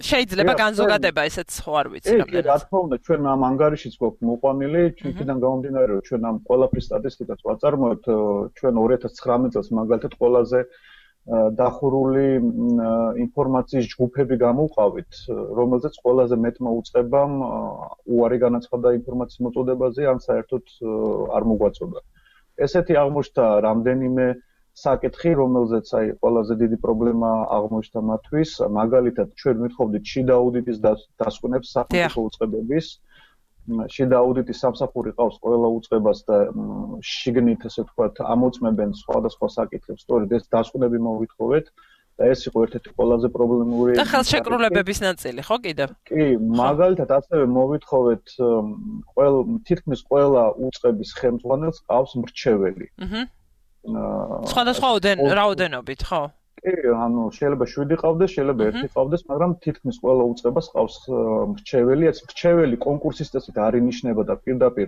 შეიძლება განზოგადება ესეც ხო არ ვიცი რამდენად. რა თქმა უნდა, ჩვენ ამ ანგარიშიც გვაქვს მოყვანილი, იქიდან გამომდინარე, რომ ჩვენ ამ ყველაფრის სტატისტიკას ვაწარმოებთ, ჩვენ 2019 წელს მაგალითად ყველაზე დახურული ინფორმაციის ჯგუფები გამოვყავით, რომელზეც ყველაზე მეტმა უწყებამ უარი განაცხადა ინფორმაციის მოწოდებაზე, ან საერთოდ არ მოგვაწოდა. ესეთი აღმოჩნდა რამდენიმე საკითხი, რომელზეც აი ყველაზე დიდი პრობლემა აღმოჩნდა მათთვის, მაგალითად ჩვენ მithოვდით შიდა აუდიტის დასკვნებს სახელმწიფო უწყებების. შიდა აუდიტის სამსახური ყავს ყველა უწყებას და შიგნით ესე ვთქვათ ამოწმებენ სხვადასხვა საკითხებს, სწორედ ეს დასკვნები მოვითხოვეთ და ეს იყო ერთ-ერთი ყველაზე პრობლემური და ხელშეკრულებების ნაწილი, ხო კიდევ? კი, მაგალითად ასევე მოვითხოვეთ თითქმის ყველა უწყების ხელმძღვანელს ყავს მრჩეველი. სხვადასხვა რაოდენობით, ხო? კი, ანუ შეიძლება 7 ყავდეს, შეიძლება 1 ყავდეს, მაგრამ თითქმის ყველა უწყებას ყავს მრჩეველი. ეს მრჩეველი კონკურსის წესით არ ინიშნება და პირდაპირ,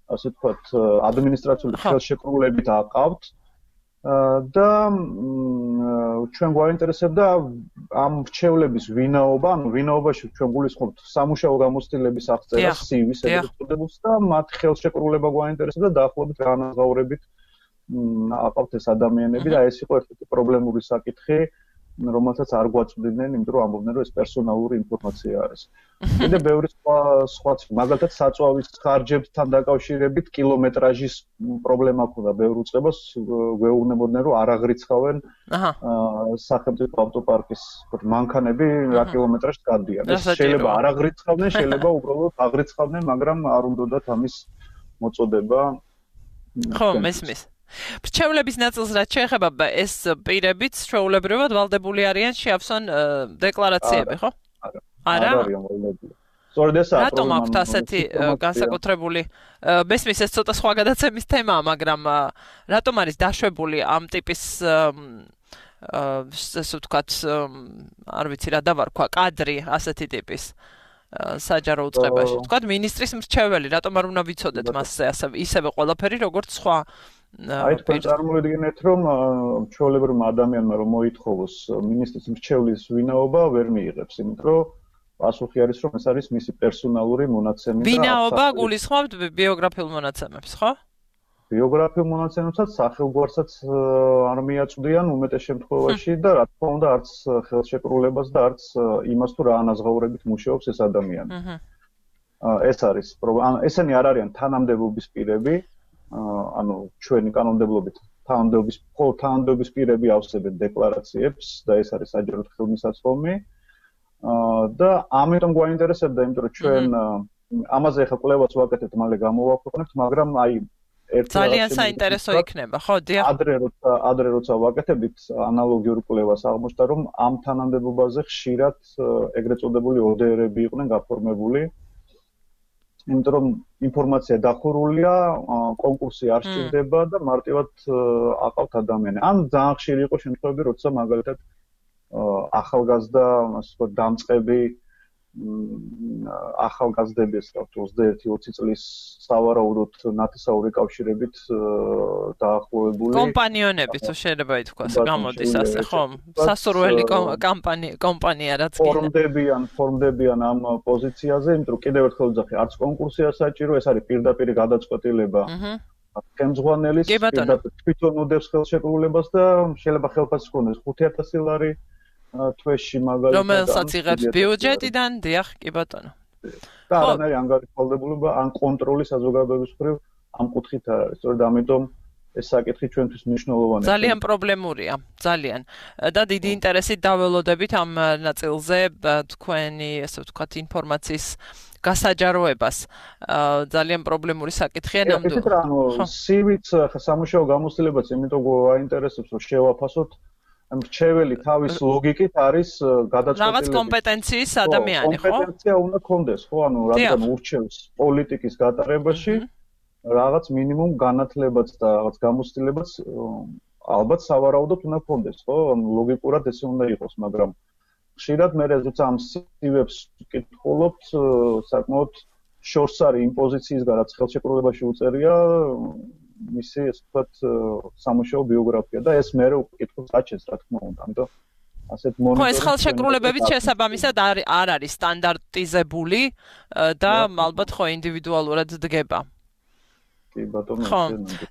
ასე ვთქვათ, ადმინისტრაციული ხელშეკრულებით აყავთ. და ჩვენ გვაინტერესებდა ამ მრჩევლების ვინაობა, ანუ ვინაობაში ჩვენ გულისხმობთ სამუშაო გამოცდილების აღწერას, CV-ს ეწოდებს და მათ ხელშეკრულება გვაინტერესებდა დაახლოებით რა ანაზღაურებით აყავთ ეს ადამიანები და ეს იყო ერთ-ერთი პრობლემური საკითხი, რომელსაც არ გვაწვდიდნენ, იმიტომ რომ ამბობდნენ, რომ ეს პერსონალური ინფორმაცია არის. კიდე ბევრი სხვა მაგალითად საწვავის ხარჯებთან დაკავშირებით კილომეტრაჟის პრობლემა ჰქონდა ბევრ უწყებას, გვეუბნებოდნენ, რომ არ აღრიცხავენ სახელმწიფო ავტოპარკის მანქანები რა კილომეტრაჟს გადიან. ეს შეიძლება არ აღრიცხავდნენ, შეიძლება უბრალოდ აღრიცხავდნენ, მაგრამ არ უნდათ ამის მოწოდება. ხო, მესმის. მრჩევლების ნაწილს რაც შეეხება ეს პირებიც ჩვეულებრივად ვალდებული არიან შეავსონ დეკლარაციები, ხო? არა. სწორედ ეს არის. რატომ აქვთ ასეთი განსაკუთრებული მესმის ეს ცოტა სხვა გადაცემის თემაა, მაგრამ რატომ არის დაშვებული ამ ტიპის ესე ვთქვათ, არ ვიცი რა დავარქვა, კადრი ასეთი ტიპის საჯარო უწყებაში. ვთქვათ, მინისტრის მრჩეველი, რატომ არ უნდა ვიცოდეთ მასზე ისევე ყველაფერი, როგორც სხვა აი თქვენ წარმოვიდგინეთ, რომ ჩვეულებრივმა ადამიანმა რომ მოითხოვოს მინისტრის მრჩევლის ვინაობა, ვერ მიიღებს, იმიტომ რომ პასუხი არის, რომ ეს არის მისი პერსონალური მონაცემი და ვინაობა გულისხმობთ ბიოგრაფიულ მონაცემებს, ხო? ბიოგრაფიულ მონაცემებსაც სახელგვარსაც არ მიაწვდიან უმეტეს შემთხვევაში და რა თქმა უნდა არც ხელშეკრულებას და არც იმას თუ რა ანაზღაურებით მუშაობს ეს ადამიანი. ეს არის პრობლემა. ესენი არ არიან თანამდებობის პირები, ანუ ჩვენი კანონმდებლობით თანამდებობის პირები ავსებენ დეკლარაციებს და ეს არის საჯარო ხელმისაწვდომი. და ამიტომ გვაინტერესებდა, იმიტომ რომ ჩვენ ამაზე ახლა კვლევას ვაკეთებთ, მალე გამოვაქვეყნებთ, მაგრამ აი ძალიან საინტერესო იქნება, ხო, დიახ. ადრე როცა ვაკეთებდით ანალოგიურ კვლევას, აღმოჩნდა, რომ ამ თანამდებობაზე ხშირად ეგრეთ წოდებული ODR-ები იყვნენ გაფორმებული. იმიტომ რომ ინფორმაცია დახურულია, კონკურსი არ სჭირდება და მარტივად აყავთ ადამიანი. ან ძალიან ხშირი იყო შემთხვევები, როცა მაგალითად ახალგაზრდა, ასე ვთქვათ, დამწყები ახალგაზრდები, ასე ვთქვათ, 21-20 წლის სავარაუდოდ ნათესაური კავშირებით დაახლოებული კომპანიონები, თუ შეიძლება ითქვას, გამოდის ასე, ხო? სასურველი კომპანია რაც ფორმდებიან ამ პოზიციაზე, იმიტომ რომ კიდევ ერთხელ ვძახი, არც კონკურსია საჭირო, ეს არის პირდაპირი გადაწყვეტილება. ხელმძღვანელის თვითონ უდევს ხელშეკრულებას და შეიძლება ხელფასი ჰქონდეს 5000 ლარი თვეში მაგალითად. რომელსაც იღებს ბიუჯეტიდან, დიახ, კი ბატონო. და არანაირი ანგარიშვალდებულება ან კონტროლი საზოგადოების მხრივ ამ კუთხით არ არის. სწორედ ამიტომ ეს საკითხი ჩვენთვის მნიშვნელოვანია. ძალიან პრობლემურია, ძალიან. და დიდი ინტერესით დაველოდებით ამ ნაწილზე თქვენი, ესე ვთქვათ, ინფორმაციის გასაჯაროებას. ძალიან პრობლემური საკითხია ნამდვილად. ისეთ რა, CV-ც სამუშაო გამოცდილებაც იმიტომ გვაინტერესებს, რომ შევაფასოთ მრჩეველი თავის ლოგიკით არის გადაწყვეტილი. რაღაც კომპეტენციის ადამიანი, ხო? კომპეტენცია უნდა კონდეს, ხო? ანუ რადგან ურჩევს პოლიტიკის გატარებაში რაღაც მინიმუმ განათლებაც და რაღაც გამოცდილებაც ალბათ სავარაუდოდ უნდა კონდეს, ხო? ანუ ლოგიკურად ესე უნდა იყოს, მაგრამ ხშირად მე როცა ამ CV-ებს ვკითხულობთ, საკმაოდ შორს არის იმ პოზიციისგან, რაც ხელშეკრულებაში უწერია მისი ესე ვთქვათ სამუშაო ბიოგრაფია და ეს მე ვკითხულობ საჩეს რა თქმა უნდა, ამიტომ ასეთ მონიტორინგი. ხო, ეს ხელშეკრულებებით შესაბამისად არ არის სტანდარტიზებული და ალბათ ხო ინდივიდუალურად დგება. კი ბატონო. ხო,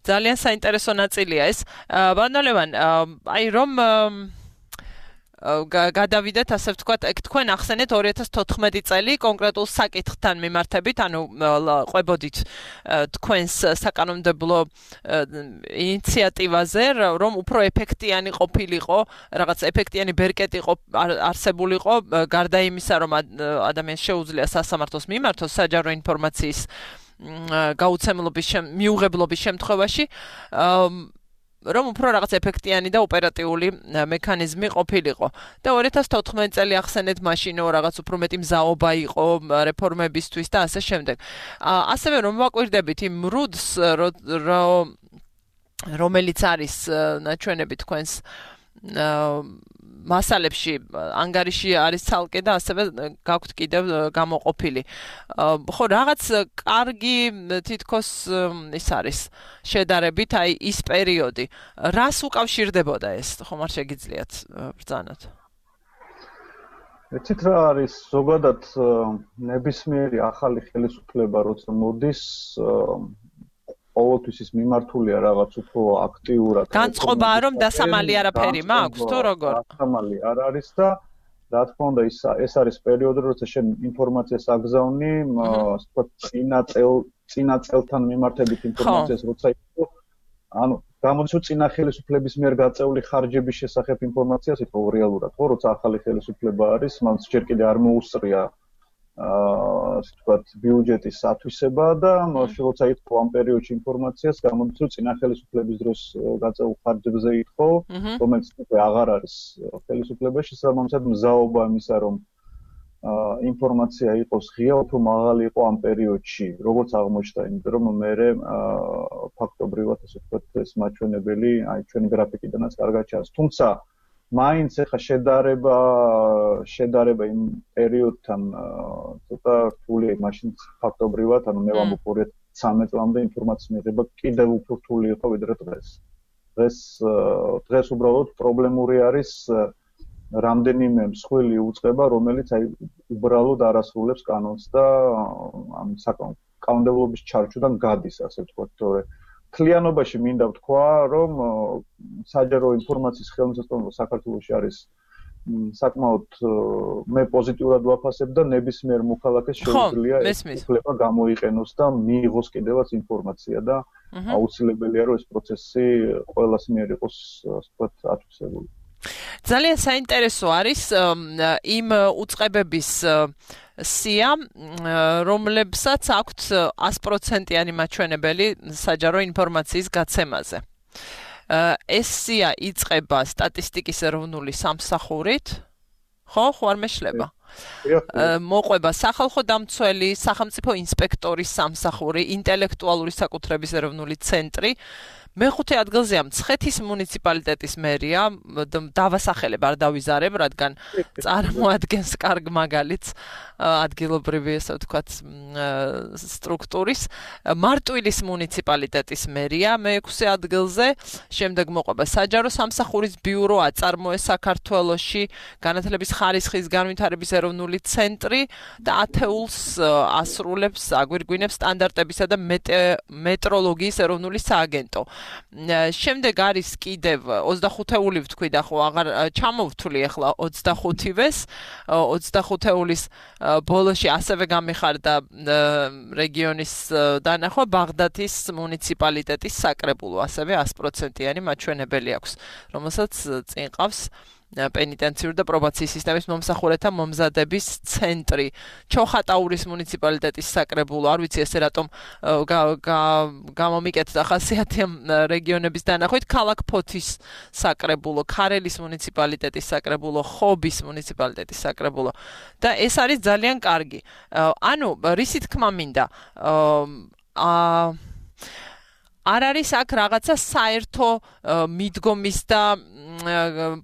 ძალიან საინტერესო ნაწილია ეს. ბატონო ლევან, აი რომ გადავიდეთ ასე ვთქვათ, თქვენ ახსენეთ 2014 წელი კონკრეტულ საკითხთან მიმართებით, ანუ ყვებოდით თქვენს საკანონმდებლო ინიციატივაზე, რომ უფრო ეფექტიანი ყოფილიყო, რაღაც ეფექტიანი ბერკეტი არსებულიყო, გარდა იმისა, რომ ადამიანს შეუძლია სასამართლოს მიმართოს საჯარო ინფორმაციის გაუცემლობის მიუღებლობის შემთხვევაში, რომ უფრო რაღაც ეფექტიანი და ოპერატიული მექანიზმი ყოფილიყო. და 2014 წელი ახსენეთ მაშინ რაღაც უფრო მეტი მზაობა იყო რეფორმებისთვის და ასე შემდეგ. ასევე რომ ვაკვირდებით იმ რუდს, რომელიც არის ნაჩვენები თქვენს მასალებში, ანგარიში არის ცალკე და ასევე გაქვთ კიდევ გამოყოფილი. ხო, რაღაც კარგი თითქოს ის არის შედარებით, აი ის პერიოდი. რას უკავშირდებოდა ეს? ხომ არ შეგიძლიათ ბრძანოთ? ეცით რა არის ზოგადად ნებისმიერი ახალი ხელისუფლება როცა მოდის ყოველთვის ის მიმართულია რაღაც უფრო აქტიურად. განწყობაა რომ დასამალი არაფერი მაქვს თუ როგორ? დასამალი არ არის და რა თქმა უნდა ეს არის პერიოდი როცა შენ ინფორმაციას აგზავნი, ასე წინა წელთან მიმართებით ინფორმაციას როცა იყო, ანუ გამოდის რომ წინა ხელისუფლების მიერ გაწეული ხარჯების შესახებ ინფორმაციას იყო რეალურად, ხო, როცა ახალი ხელისუფლება არის, მას ჯერ კიდე არ მოუსწრია ასე ვთქვათ ბიუჯეტის ათვისება და როცა ითხოვ ამ პერიოდში ინფორმაციას, გამოდის რომ წინა ხელისუფლების დროს გაწეულ ხარჯებზე ითხოვ, რომელიც უკვე აღარ არის ხელისუფლებაში, შესაბამისად მზაობა იმისა, რომ ინფორმაცია იყოს ღია, უფრო მაღალი იყო ამ პერიოდში, როგორც აღმოჩნდა, იმიტომ რომ მე ფაქტობრივად ასე ვთქვათ ეს მაჩვენებელი, აი ჩვენი გრაფიკიდანაც კარგად ჩანს. თუმცა მაინც ახლა შედარება იმ პერიოდთან ცოტა რთულია, მაშინ ფაქტობრივად, ანუ მე ვამბობ 2013 წლამდე ინფორმაციის მიღება კიდევ უფრო რთული იყო ვიდრე დღეს. დღეს უბრალოდ პრობლემური არის რამდენიმე მსხვილი უწყება, რომელიც აი უბრალოდ არ ასრულებს კანონს და ამ კანონმდებლობის ჩარჩოდან გადის, ასე ვთქვათ, თორე მთლიანობაში მინდა ვთქვა, რომ საჯარო ინფორმაციის ხელმისაწვდომობა საქართველოში არის საკმაოდ მე პოზიტიურად ვაფასებ და ნებისმიერ მოქალაქეს შეუძლია ეს უფლება გამოიყენოს და მიიღოს კიდევაც ინფორმაცია და აუცილებელია რომ ეს პროცესი ყველას მიერ იყოს ასე ვთქვათ ათვისებული. ძალიან საინტერესო არის იმ უწყებების სია, რომლებსაც აქვთ 100%-იანი მაჩვენებელი საჯარო ინფორმაციის გაცემაზე. ეს სია იწყება სტატისტიკის ეროვნული სამსახურით, ხო არ მეშლება? მოყვება სახალხო დამცველი, სახელმწიფო ინსპექტორის სამსახური, ინტელექტუალური საკუთრების ეროვნული ცენტრი. მეხუთე ადგილზეა მცხეთის მუნიციპალიტეტის მერია, დავასახელებ, არ დავიზარებ, რადგან წარმოადგენს კარგ მაგალითს ადგილობრივი, ასე ვთქვათ, სტრუქტურის. მარტვილის მუნიციპალიტეტის მერია მეექვსე ადგილზე, შემდეგ მოყვება საჯარო სამსახურის ბიურო აწარმოეს საქართველოში, განათლების ხარისხის განვითარების ეროვნული ცენტრი და ათეულს ასრულებს, აგვირგვინებს სტანდარტებისა და მეტროლოგიის ეროვნული სააგენტო. შემდეგ არის კიდევ 25-ეული ვთქვი და ხო აღარ ჩამოვთვლი ახლა 25-ეს 25-ეულის ბოლოში ასევე გამიხარდა რეგიონის დანახვა ბაღდათის მუნიციპალიტეტის საკრებულო ასევე 100%-იანი მაჩვენებელი აქვს რომელსაც წინ ყავს პენიტენციური და პრობაციის სისტემის მომსახურეთა მომზადების ცენტრი ჩოხატაურის მუნიციპალიტეტის საკრებულო არ ვიცი ესე რატომ გამომიკეთდა ხასიათი რეგიონების დანახვით ქალაქ ფოთის საკრებულო ქარელის მუნიციპალიტეტის საკრებულო ხობის მუნიციპალიტეტის საკრებულო და ეს არის ძალიან კარგი ანუ რისი თქმა მინდა არ არის აქ რაღაცა საერთო მიდგომის და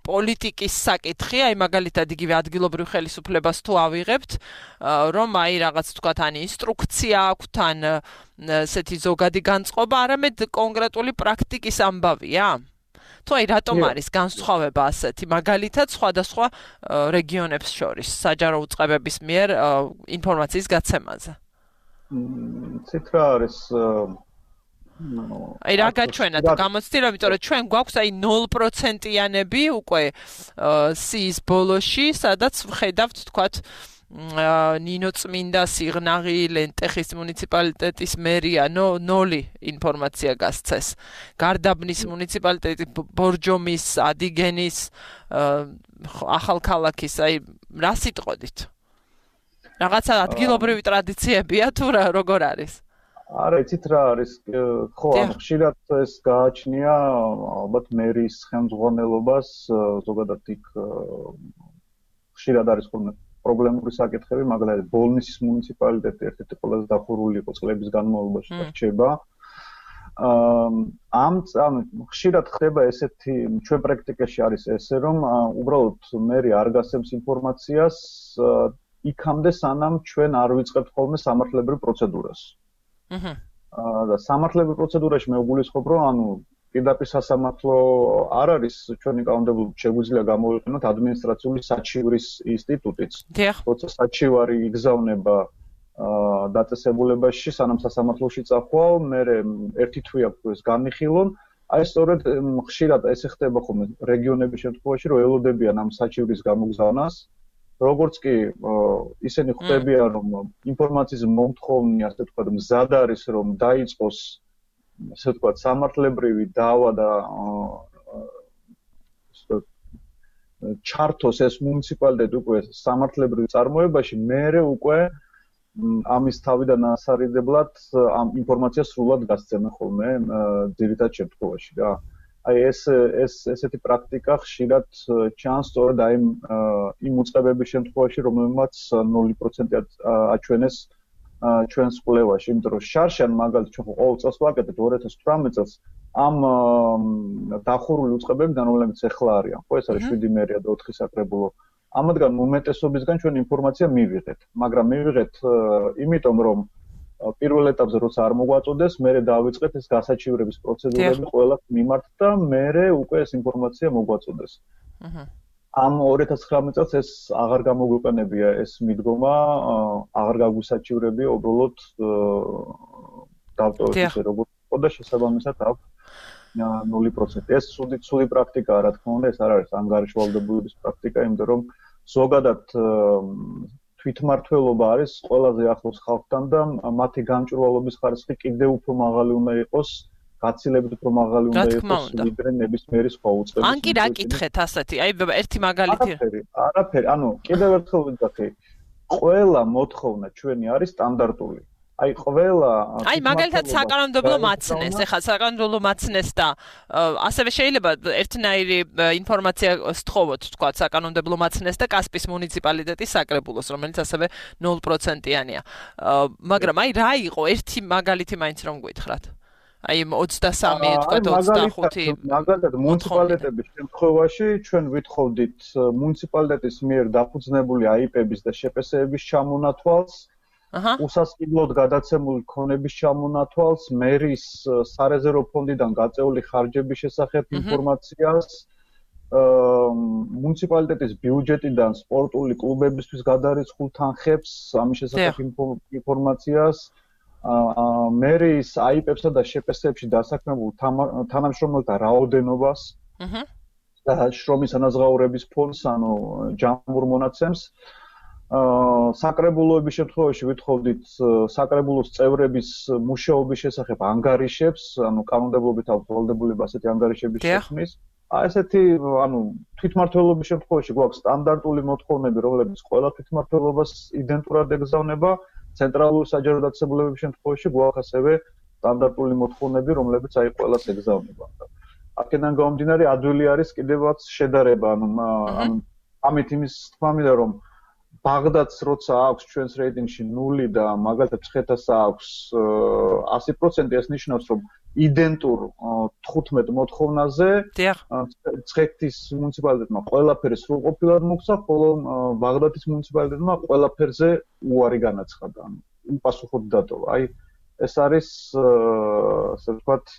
პოლიტიკის საკითხი, აი მაგალითად იგივე ადგილობრივ ხელისუფლებას თუ ავიღებთ, რომ აი რაღაც თქვათ ან ინსტრუქცია აქვთ, ან ესეთი ზოგადი განწყობა, არამედ კონკრეტული პრაქტიკის ამბავია? თუ აი რატომ არის განსხვავება ასეთი მაგალითად სხვადასხვა რეგიონებს შორის საჯარო უწყებების მიერ ინფორმაციის გაცემაზე? ცით რა არის აი რა გაჩვენათ გამოცდილება, იმიტომ რომ ჩვენ გვაქვს აი 0%-იანები უკვე სიის ბოლოში, სადაც ვხედავთ თქვათ ნინო წმინდა სიღნაღი ლენტეხის მუნიციპალიტეტის მერია 0 ინფორმაცია გასცეს. გარდაბნის მუნიციპალიტეტი, ბორჯომის, ადიგენის, ახალქალაქის, აი რა სიტყოდით? რაღაცა ადგილობრივი ტრადიციებია თუ როგორ არის? არა, იცით რა არის, ხო, ხშირად ეს გააჩნია ალბათ მერის ხელმძღვანელობას, ზოგადად იქ ხშირად არის ხოლმე პრობლემური საკითხები, მაგალითად ბოლნისის მუნიციპალიტეტი ერთ-ერთი ყველაზე დახურული იყო წლების განმავლობაში და რჩება. ხშირად ხდება ესეთი, ჩვენ პრაქტიკაში არის ესე, რომ უბრალოდ მერი არ გასცემს ინფორმაციას იქამდე, სანამ ჩვენ არ ვიწყებთ ხოლმე სამართლებრივ პროცედურას. და სამართლებრივ პროცედურაში მე ვგულისხმობ, რომ პირდაპირ სასამართლო არ არის ჩვენი კანონმდებლობით შეგვიძლია გამოვიყენოთ ადმინისტრაციული საჩივრის ინსტიტუტიც. როცა საჩივარი იგზავნება დაწესებულებაში, სანამ სასამართლოში წახვალ, მე ერთი თვე აქვს ეს განიხილონ. აი სწორედ ხშირად ესე ხდება ხოლმე რეგიონების შემთხვევაში, რომ ელოდებიან ამ საჩივრის გამოგზავნას. როგორც კი ისინი ხვდებიან, რომ ინფორმაციის მომთხოვნი, ასე ვთქვათ, მზად არის, რომ დაიწყოს ასე ვთქვათ, სამართლებრივი დავა და ჩართოს ეს მუნიციპალიტეტი უკვე სამართლებრივ წარმოებაში, მერე უკვე ამის თავიდან ასარიდებლად ამ ინფორმაციას სრულად გასცემენ ხოლმე ძირითად შემთხვევაში რა. აი ესეთი პრაქტიკა ხშირად ჩანს სწორედ აი იმ უწყებების შემთხვევაში, რომელმაც 0% აჩვენეს ჩვენს კვლევაში, იმიტომ რომ შარშან მაგალითად ჩვენ ყოველ წელს ვაკეთებთ 2018 წელს ამ დახურული უწყებებიდან, რომლებიც ახლა არიან, ხო ეს არის 7 მერია და 4 საკრებულო. ამათგან უმეტესობისგან ჩვენ ინფორმაცია მივიღეთ, მაგრამ მივიღეთ იმიტომ რომ პირველ ეტაპზე როცა არ მოგვაწოდეს, მერე დავიწყეთ ეს გასაჩივრების პროცედურები ყველა მიმართ და მერე უკვე ეს ინფორმაცია მოგვაწოდეს. ამ 2019 წელს ეს აღარ გამოგვიყენებია ეს მიდგომა, აღარ გაგვისაჩივრებია უბრალოდ დავტოვეთ ისე როგორც იყო და შესაბამისად აქვს 0%. ეს ცუდი პრაქტიკაა, რა თქმა უნდა, ეს არ არის ანგარიშვალდებულების პრაქტიკა, იმიტომ რომ ზოგადად თვითმმართველობა არის ყველაზე ახლოს ხალხთან და მათი გამჭვირვალობის ხარისხი კიდევ უფრო მაღალი უნდა იყოს, გაცილებით უფრო მაღალი უნდა იყოს ვიდრე ნებისმიერი სხვა უწყების. ან კი რა კითხეთ ასეთი, აი ერთი მაგალითი. არაფერი, კიდევ ერთხელ ვიძახი, ყველა მოთხოვნა ჩვენი არის სტანდარტული. აი ყველა აი მაგალითად საკანონმდებლო მაცნეს, ეხლა საკანონმდებლო მაცნეს და ასევე შეიძლება ერთნაირი ინფორმაცია სთხოვოთ, თქვა საკანონმდებლო მაცნეს და კასპის მუნიციპალიტეტის საკრებულოს, რომელიც ასევე 0%-იანია. მაგრამ აი რა იყო ერთი მაგალითი მაინც რომ გითხრათ? აი 23, თქვა 25. მაგალითად მუნიციპალიტეტების შემთხვევაში ჩვენ ვითხოვდით მუნიციპალიტეტის მიერ დაფუძნებული აიპების და შეპესეების ჩამონათვალს, უსასყიდლოდ გადაცემული ქონების ჩამონათვალს, მერის სარეზერვო ფონდიდან გაწეული ხარჯების შესახებ ინფორმაციას, მუნიციპალიტეტის ბიუჯეტიდან სპორტული კლუბებისთვის გადარიცხულ თანხებს, ამის შესახებ ინფორმაციას, მერის აიპებსა და შეპესეებში დასაქმებულ თანამშრომელთა რაოდენობას და შრომის ანაზღაურების ფონდს, ჯამურ მონაცემს. საკრებულოების შემთხვევაში ვითხოვდით საკრებულოს წევრების მუშაობის შესახებ ანგარიშებს, კანონმდებლობით აქვს ვალდებულება ასეთი ანგარიშების შექმნის. ესეთი, თვითმმართველობის შემთხვევაში გვაქვს სტანდარტული მოთხოვნები, რომლებიც ყველა თვითმმართველობას იდენტურად ეგზავნება, ცენტრალური საჯარო დაწესებულებების შემთხვევაში გვაქვს ასევე სტანდარტული მოთხოვნები, რომლებიც აი ყველას ეგზავნება. აქედან გამომდინარე, ადვილი არის კიდევაც შედარება, ამით იმის თქმა მინდა, რომ ბაღდადს როცა აქვს ჩვენს რეიტინგში 0 და მაგალითად ცხეთას აქვს 100%, ეს ნიშნავს, რომ იდენტურ 15 მოთხოვნაზე ცხეთის მუნიციპალიტეტმა ყველაფერი სრულყოფილად მოგცა, ხოლო ბაღდადის მუნიციპალიტეტმა ყველაფერზე უარი განაცხადა, უპასუხოდ დატოვა. აი ეს არის ასე ვთქვათ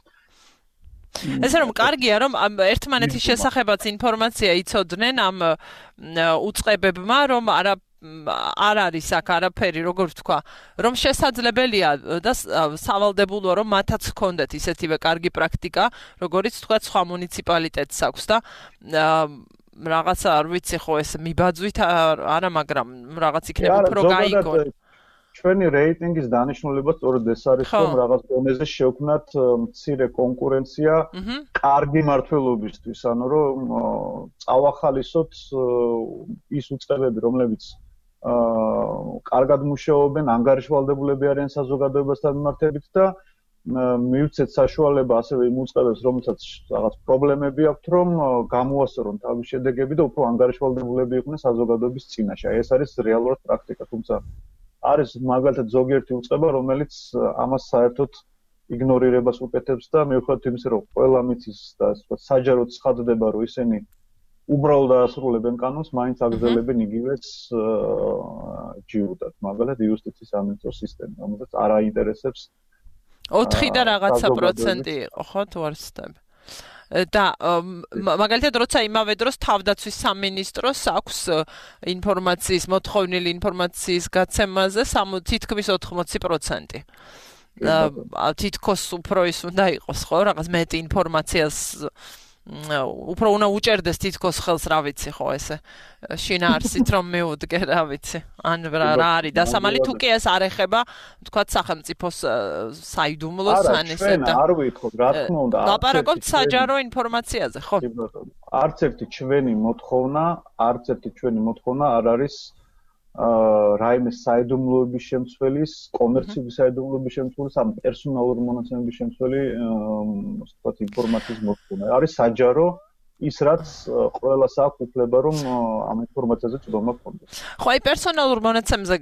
ესე რომ კარგია რომ ერთმანეთის შესახებაც ინფორმაცია იცოდნენ ამ უწყებებმა რომ არ არის აქ არაფერი როგორ ვთქვა რომ შესაძლებელია და სავალდებულოა რომ მათაც ჰქონდეთ ისეთივე კარგი პრაქტიკა როგორიც თქვა სხვა მუნიციპალიტეტს აქვს და რაღაცა არ ვიცი ხო ეს მიბაძვით არა მაგრამ რაღაც იქნება უფრო გაიგონ ჩვენი რეიტინგის დანიშნულება სწორედ ეს არის რომ რაღაც დონეზე შევქმნათ მცირე კონკურენცია კარგი მმართველობისთვის ანუ რომ წავახალისოთ ის უწყებები რომლებიც კარგად მუშაობენ ანგარიშვალდებულები არიან საზოგადოებასთან მიმართებით და მივცეთ საშუალება ასევე იმ უწყებებს რომელსაც რაღაც პრობლემები აქვთ რომ გამოასწორონ თავის შედეგები და უფრო ანგარიშვალდებულები იყვნენ საზოგადოების წინაშე ეს არის რეალურად პრაქტიკა თუმცა არის მაგალითად ზოგიერთი უწყება, რომელიც ამას საერთოდ იგნორირებას უკეთებს და მიუხედავად იმისა, რომ ყველა მიცის და საჯაროდ ცხადდება, რომ ისინი უბრალოდ დაასრულებენ კანონს, მაინც აგრძელებენ იგივეს ჯიუტად. მაგალითად იუსტიციის სამინისტროს სისტემა, რომელსაც არ აინტერესებს 4 და რაღაცა პროცენტი იყო, ხო, თუ არ ვცდები. და მაგალითად როცა იმავე დროს თავდაცვის სამინისტროს აქვს ინფორმაციის მოთხოვნილი ინფორმაციის გაცემაზე თითქმის 80%. თითქოს უფრო ის უნდა იყოს ხო რაღაც მეტი ინფორმაციას უფრო უნდა უჭერდეს თითქოს ხელს რა ვიცი ხო ესე შინაარსით რომ მეუდგე რა ვიცი ან რა არის დასამალი თუ კი ეს არ ეხება თქვათ სახელმწიფოს საიდუმლოს ან ესე და არ ვითხოთ რა თქმა უნდა ლაპარაკობთ საჯარო ინფორმაციაზე ხო არც ერთი ჩვენი მოთხოვნა არ არის რაიმე საიდუმლოების შემცველის, კომერციული საიდუმლოების შემცველის, ამ პერსონალური მონაცემების შემცველი, ვთქვათ, ინფორმაციის მოთხოვნა. არის საჯარო ის რაც ყველას აქვს უფლება რომ ამ ინფორმაციაზე წვდომა გქონდეს. ხო, აი პერსონალურ მონაცემებზე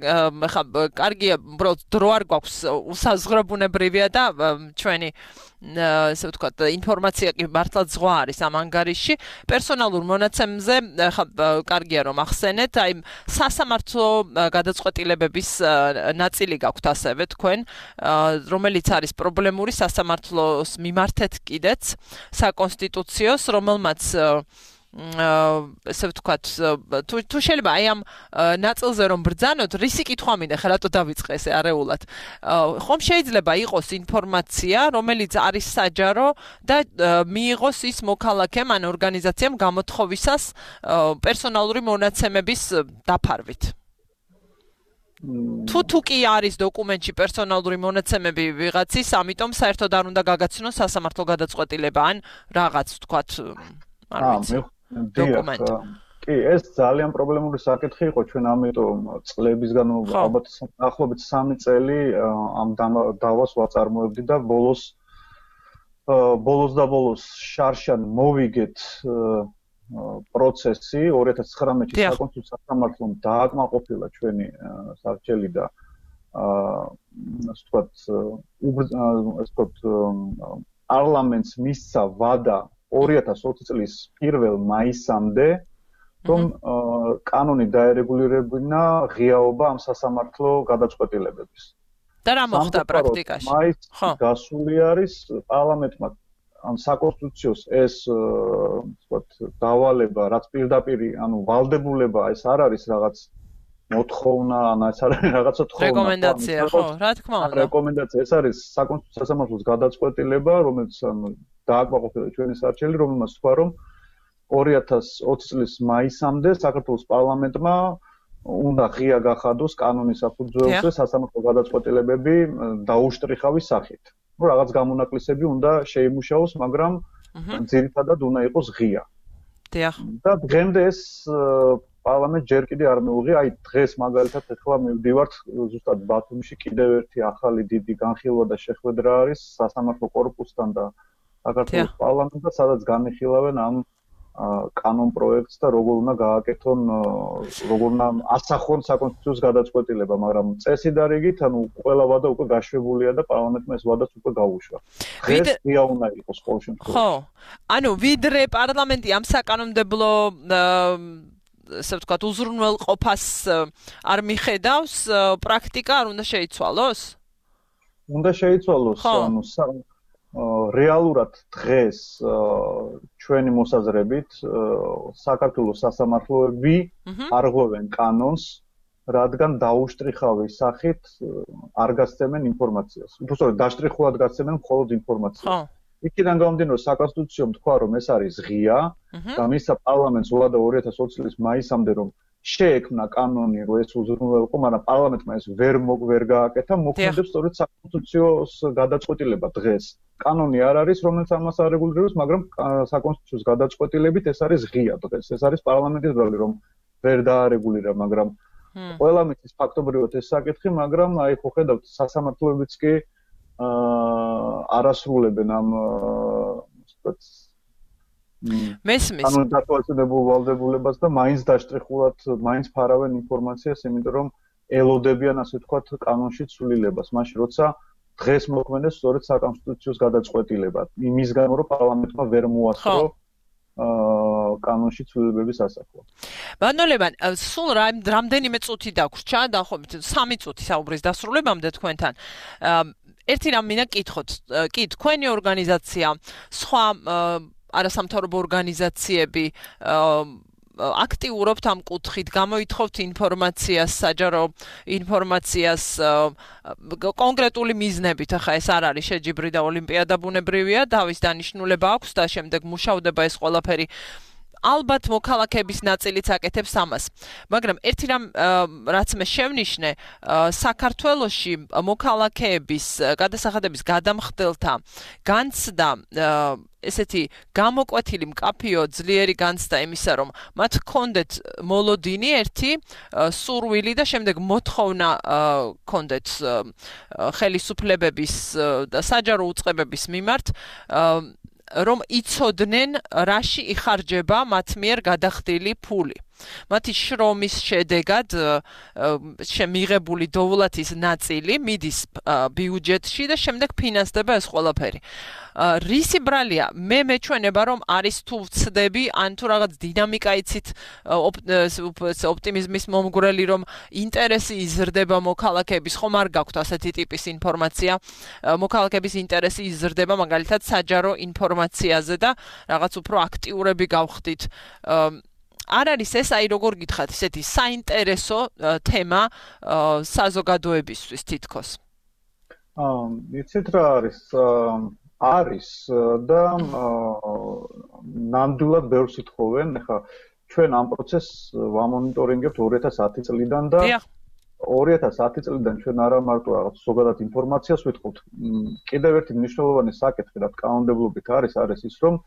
ხა კარგია, უბრალოდ დრო არ გვაქვს უსაზღვრობუნებრივია და ჩვენი ესე ვთქვათ, ინფორმაცია კი მართლა ზღვა არის ამ ანგარიშში. პერსონალურ მონაცემებზე ხა კარგია რომ ახსენეთ, აი სასამართლო გადაწყვეტილებების ნაწილი გაქვთ ასევე თქვენ, რომელიც არის პრობლემური სასამართლოს მიმართეთ კიდეც საკონსტიტუციოს, რომელმაც ესე ვთქვათ, თუ შეიძლება აი ამ ნაწილზე რომ ბრძანოთ, რისი კითხვა მინდა ხა რატო დავიწყე ესე არეულად. ხომ შეიძლება იყოს ინფორმაცია, რომელიც არის საჯარო და მიიღოს ის მოქალაქემ ან ორგანიზაციამ გამოთხოვისას პერსონალური მონაცემების დაფარვით. თუ კი არის დოკუმენტში პერსონალური მონაცემები ვიღაცის, ამიტომ საერთოდ არ უნდა გაგაცნოს სასამართლო გადაწყვეტილება ან რაღაც ვთქვათ, არ ვიცი. დოკუმენტი. კი, ეს ძალიან პრობლემური საკითხი იყო ჩვენ ამიტომ წლების განმავლობაში, ალბათ ახლობით 3 წელი ამ დავას ვაწარმოებდი და ბოლოს შარშან მოვიგეთ პროცესი 2019-ში საკონსტიტუციო სასამართლომ დააკმაყოფილა ჩვენი სარჩელი და ასე ვთქვათ პარლამენტს მისცა ვადა 2020 წლის 1 მაისამდე რომ კანონი დაერეგულირებინა ღიაობა ამ სასამართლო გადაწყვეტილებების. და რა მოხდა პრაქტიკაში? ხო. გასული არის პარლამენტმა ამ საკონსტიტუციოს ეს ვთქვათ დავალება, რაც პირდაპირ ანუ ვალდებულება ეს არ არის რაღაც მოთხოვნა, ან ეს არის რაღაცა თხოვნა. რეკომენდაცია, ხო, რა თქმა უნდა. რეკომენდაცია, ეს არის საკონსტიტუციო სასამართლოს გადაწყვეტილება, რომელიც დააკმაყოფილა ჩვენი სარჩელი, რომელმაც თქვა, რომ 2020 წლის მაისამდე საქართველოს პარლამენტმა უნდა ღია გახადოს კანონის საფუძველზე სასამართლო გადაწყვეტილებები დაუშტრიხავის სახით. ну რაღაც გამონაკლისები უნდა შეიმუშაოს, მაგრამ ძირითადად უნდა იყოს ღია. დიახ. და დღემდე ეს პარლამენტ ჯერ კიდე არ მეუღია, აი დღეს მაგალითად ეხლა მივდივართ ზუსტად ბათუმში კიდევ ერთი ახალი დიდი განხილვა და შეხვედრა არის სასამართლო კორპუსთან და საქართველოს პარლამენტთან, სადაც განიხილავენ ამ კანონ პროექტს და როგორ უნდა გააკეთონ, როგორ უნდა ასახონ საკონსტიტუციო გადაწყვეტილება, მაგრამ წესი და რიგით, ანუ ყველა ვადა უკვე გაშვებულია და პარლამენტმა ეს ვადაც უკვე გაუშვა. დღეს ღია უნდა იყოს ყოველ შემთხვევაში. ხო. ანუ ვიდრე პარლამენტი ამ საკანონმდებლო ასე ვთქვათ, უზრუნველყოფას არ მიხედავს, პრაქტიკა არ უნდა შეიცვალოს? უნდა შეიცვალოს, ანუ რეალურად დღეს ჩვენი მოსაზრებით საქართველოს სასამართლოები არღვევენ კანონს, რადგან დაუშტრიხავი სახით არ გასცემენ ინფორმაციას. უბრალოდ დაშტრიხულად გასცემენ მხოლოდ ინფორმაციას. იქიდან გამომდინარე საკონსტიტუციო თქვა რომ ეს არის ღია და მისცა პარლამენტს უადა 2020 წლის მაისამდე რომ შეექმნა კანონი რომ ეს უზრუნველყო, მაგრამ პარლამენტმა ეს ვერ გააკეთა, მოქმედებს სწორედ საკონსტიტუციოს გადაწყვეტილება დღეს. კანონი არ არის, რომელიც ამას არეგულირებს, მაგრამ საკონსტიტუციოს გადაწყვეტილებით ეს არის ღია დღეს. ეს არის პარლამენტის ბრალი, რომ ვერ დაარეგულირა, მაგრამ ყველა მის ფაქტობრივად ეს საკითხი, მაგრამ აი ხო ხედავთ, სასამართლოებიც კი არასრულებენ ამ მესმის ანუ დათვალისწინებულ ვალდებულებას და მაინც დაშტრიხულად მაინც ფარავენ ინფორმაციას, იმიტომ რომ ელოდებიან ასე ვთქვათ კანონში ცვლილებას, მაშინ როცა დღეს მოქმედებს სწორედ საკონსტიტუციოს გადაწყვეტილება, იმისგან რომ პარლამენტმა ვერ მოასწრო კანონში ცვლილებების ასახვა. ბანოლებან, სულ რამდენიმე წუთი დაგვრჩა, დაახლოებით 3 წუთი საუბრის დასრულებამდე თქვენთან. ერთი რამ მინდა კითხოთ, კი თქვენი ორგანიზაცია, სხვა არასამთავრობო ორგანიზაციები აქტიურობთ ამ კუთხით, გამოითხოვთ ინფორმაციას, საჯარო ინფორმაციას კონკრეტული მიზნებით, ახლა ეს არ არის შეჯიბრი და ოლიმპიადა ბუნებრივია, დავის დანიშნულება აქვს და შემდეგ მუშავდება ეს ყველაფერი. ალბათ მოქალაქეების ნაწილიც აკეთებს ამას. მაგრამ ერთი რამ რაც მე შევნიშნე, საქართველოში მოქალაქეების გადასახადების გადამხდელთა განცდა ესეთი გამოკვეთილი მკაფიო ძლიერი განცდა იმისა, რომ მათ ჰქონდეთ მოლოდინი ერთი სურვილი და შემდეგ მოთხოვნა ჰქონდეთ ხელისუფლებების და საჯარო უწყებების მიმართ რომ იცოდნენ რაში იხარჯება მათ მიერ გადახდილი ფული. მათი შრომის შედეგად მიღებული დოვლათის ნაწილი მიდის ბიუჯეტში და შემდეგ ფინანსდება ეს ყველაფერი. რისი ბრალია? მე მეჩვენება რომ არის თუ ვცდები, ან თუ რაღაც დინამიკა იცით ოპტიმიზმის მომგვრელი, რომ ინტერესი იზრდება მოქალაქეების, ხომ არ გაქვთ ასეთი ტიპის ინფორმაცია, მოქალაქეების ინტერესი იზრდება მაგალითად საჯარო ინფორმაციაზე და რაღაც უფრო აქტიურები გავხდით. არ არის ეს, აი როგორ გითხრათ, ესეთი საინტერესო თემა საზოგადოებისთვის თითქოს? იცით რა არის? არის და ნამდვილად ბევრს ითხოვენ. ახლა ჩვენ ამ პროცესს ვამონიტორინგებთ 2010 წლიდან და 2010 წლიდან ჩვენ არა მარტო რაღაც ზოგადად ინფორმაციას ვიტყობთ. კიდევ ერთი მნიშვნელოვანი საკითხი რა კანონმდებლობით არის ის, რომ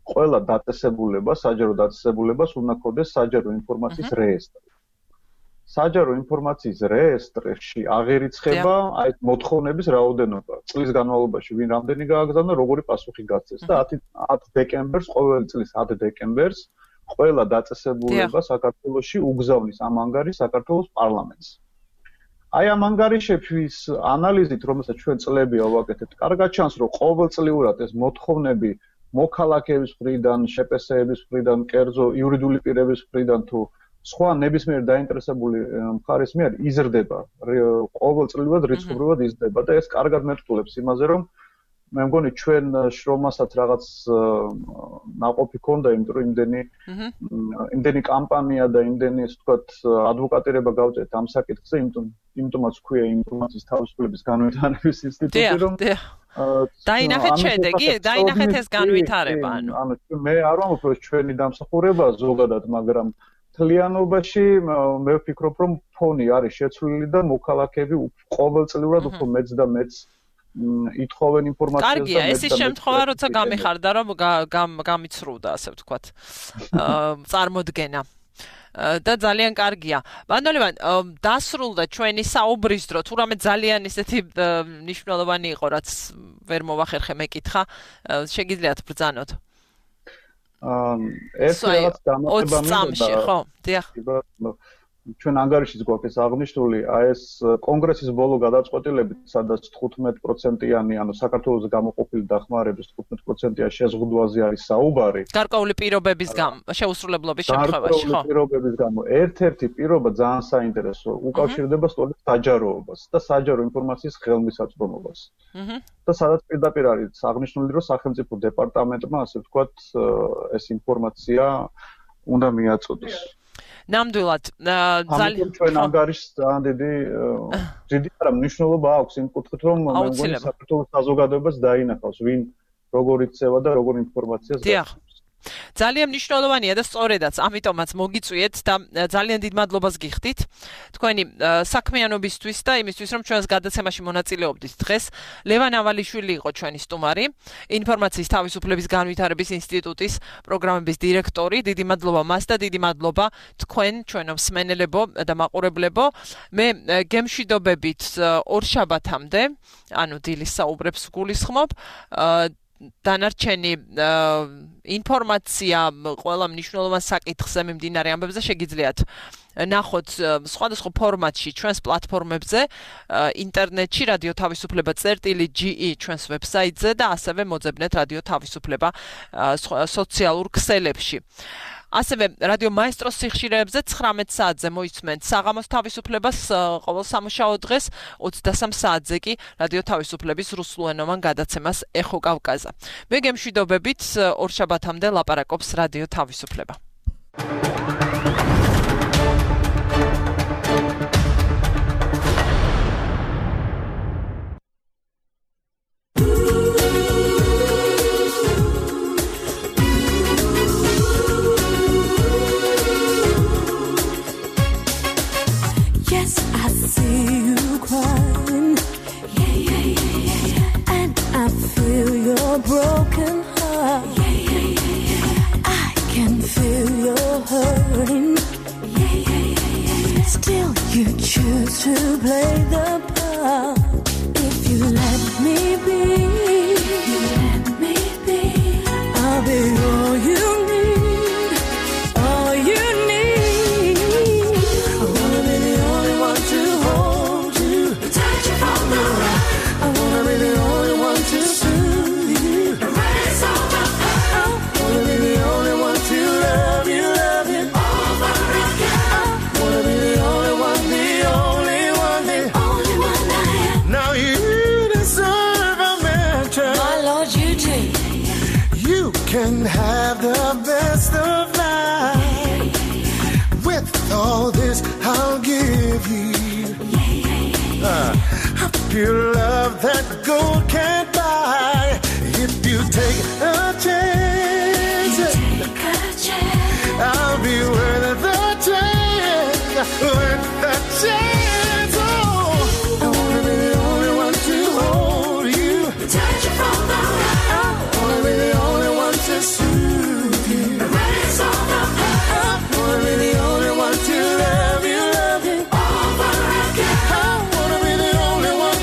ყველა დაწესებულებას, საჯარო დაწესებულებას უნდა ჰქონდეს საჯარო ინფორმაციის რეესტრი. საჯარო ინფორმაციის რეესტრში აღერიცხება აი მოთხოვნების რაოდენობა. წლის განმავლობაში ვინ რამდენი გააგზავნა, როგორი პასუხი გაცეს და 10 დეკემბერს, ყოველი წლის 10 დეკემბერს ყველა დაწესებულება საქართველოში უგზავნის ამ ანგარიშს საქართველოს პარლამენტს. აი ამ ანგარიშების ანალიზით, რომელსაც ჩვენ წლებია ვაკეთებთ, კარგად ჩანს, რომ ყოველწლიურად ეს მოთხოვნები მოქალაქეების მხრიდან, შეპსეების მხრიდან, კერძო იურიდიული პირების მხრიდან თუ სხვა ნებისმიერ დაინტერესებული მხარის მიერ იზრდება, ყოველწლიურად რიცხობრივად იზრდება და ეს კარგად მერტყულებს იმაზე, რომ მე მგონი ჩვენ შრომასაც რაღაც ნაყოფი ქონდა, იმიტომ რომ იმდენი კამპანია და იმდენი ასე ვთქვათ ადვოკატირება გავწევთ ამ საკითხზე, იმიტომაც ქვია ინფორმაციის თავისუფლების განვითარების ინსტიტუტი, რომ დაინახეთ შედეგი, დაინახეთ ეს განვითარება, ანუ მე არ ვამბობ, რომ ჩვენი დამსახურება ზოგადად, მაგრამ თლიანობაში მე ვფიქრობ, რომ ფონი არის შეცვლილი და მოქალაქეები ყოველწლიურად უფრო მეც და მეც ითხოვენ ინფორმაციას. კარგია, ეს ის შემთხვევა, როცა გამიხარდა, რომ გამიცრუდა, ასე ვთქვათ, წარმოდგენა. და ძალიან კარგია. ბანოლებან, დასრულდა ჩვენი საუბრის დრო, თუ რამე ძალიან ისეთი მნიშვნელოვანი იყო, რაც ვერ მოვახერხე მეკითხა, შეგიძლიათ ბრძანოთ. ეს რაღაც დამატება მინდა ხო დიახ ჩვენ ანგარიშიც გვაქვს ეს აღნიშნული ეს კონგრესის ბოლო გადაწყვეტილებით სადაც 15%-იანი ანუ საქართველოს გამოყოფილი დახმარების 15%-იან შეზღუდვაზე არის საუბარი გარკვეული პირობების შეუსრულებლობის შემთხვევაში ხო პირობების გამო ერთ-ერთი პირობა ძალიან საინტერესო უკავშირდება სწორედ საჯაროობას და საჯარო ინფორმაციის ხელმისაწვდომობას და სადაც პირდაპირ არის აღნიშნული რომ სახელმწიფო დეპარტამენტმა ასე ვთქვათ ეს ინფორმაცია უნდა მიაწოდოს ნამდვილად ძალიან ჩვენ ანგარიშს ძალიან დიდი არა მნიშვნელობა აქვს იმ კუთხით რომ მე მგონი საქართველოს საზოგადოებას დაინახავს ვინ როგორ იქცევა და როგორ ინფორმაციას გასცემს ძალიან მნიშვნელოვანია და სწორედაც ამიტომაც მოგიწვიეთ და ძალიან დიდ მადლობას გიხდით თქვენი საქმიანობისთვის და იმისთვის რომ ჩვენს გადაცემაში მონაწილეობდით დღეს ლევან ავალიშვილი იყო ჩვენი სტუმარი ინფორმაციის თავისუფლების განვითარების ინსტიტუტის პროგრამების დირექტორი დიდი მადლობა მას და დიდი მადლობა თქვენ ჩვენო მსმენელებო და მაყურებლებო მე გემშვიდობებით ორშაბათამდე ანუ დილის საუბრებს გულისხმობ დანარჩენი ინფორმაცია ყველა მნიშვნელოვან საკითხზე მიმდინარე ამბებზე შეგიძლიათ ნახოთ სხვადასხვა ფორმატში ჩვენს პლატფორმებზე ინტერნეტში რადიო თავისუფლება.ge ჩვენს ვებსაიტზე და ასევე მოძებნეთ რადიო თავისუფლება სოციალურ ქსელებში ასევე რადიო მაესტროს სიხშირეებზე 19 საათზე მოისმენთ საღამოს თავისუფლებას ყოველ სამუშაო დღეს 23 საათზე კი რადიო თავისუფლების რუსულენოვან გადაცემას ეხო კავკაზა მე გემშვიდობებით ორშაბათამდე ლაპარაკობს რადიო თავისუფლება broken heart I can feel your hurting still you choose to play the part if you let me be I'll be all you need I wanna be the only one to hold you touch you from the right I wanna be the only one to can have the best of life with all this I'll give you a pure love that gold can't buy if you take a chance I'll be worth the chance oh I wanna be the only one to hold you touch you from the right I wanna be the only one to soothe you raise all the pain I wanna be the only one to love you over again I wanna be the only one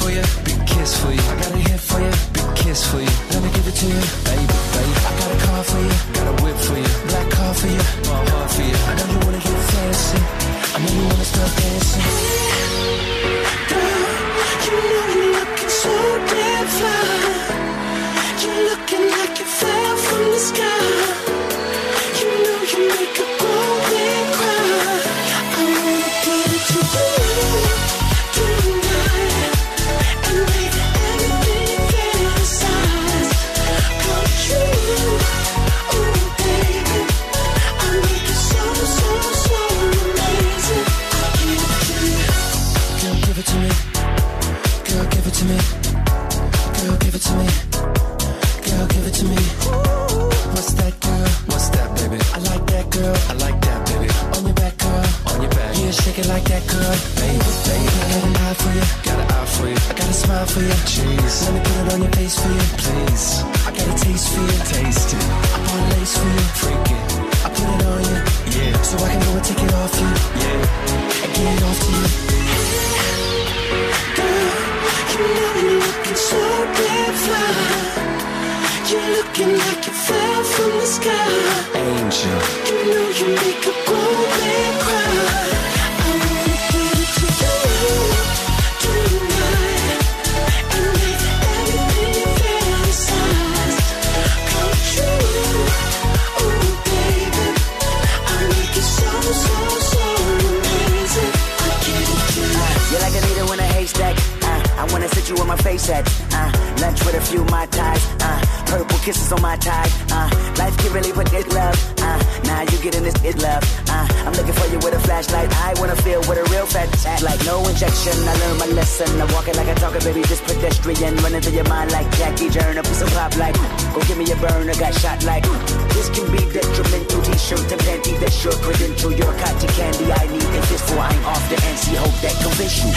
for you, big kiss for you. I got a hit for you, big kiss for you. Let me give it to you, baby, baby. I got a car for you, got a whip for you. Black car for you, my heart for you. I know you wanna get fancy, I know you wanna start dancing. Girl, you know you're looking so damn fly. You're looking like you fell from the sky. You know you make a grown man cry. I wanna give it to you tonight and make everything you fantasize come true. Oh baby, I make it so amazing. Girl, give it to me. Girl, give it to me. Girl, give it to me. Girl, give it to me. What's that, girl? What's that, baby? I like that, girl. I like that, baby. On your back, girl. On your back. Yeah, shake it like that, girl. Baby, baby. I got an eye for you. Got an eye for you. I got a smile for you. Jeez. Let me put it on your face for you, please. I got a taste for you. Taste it. I bought a lace for you. Freak it. I put it on you. Yeah. So I can go and take it off you. Yeah. And get it off to you. Girl, you know you're looking so damn fly. You're looking like you fell from the sky. Angel. You know you make a grown man cry. I wanna give it to you tonight and make everything you fantasize come true. Oh baby, I make it so amazing. I give it to you. You're like a needle in a haystack. I wanna sit you on my face at lunch with a few Mai Tais. Purple kisses on my tie. Life can really put it love. Now you getting this it love. I'm looking for you with a flashlight. I wanna feel what a real fat act like. No injection. I learned my lesson. I walk it like I talk it, baby. Just pedestrian. Running through your mind like Jackie Turner. Piece of pop like. Go give me a burner. Got shot like. This can be detrimental. T-shirt and panty. That's your credential. Your cotton candy. I need this for I ain't off the NC. Hope that convince you.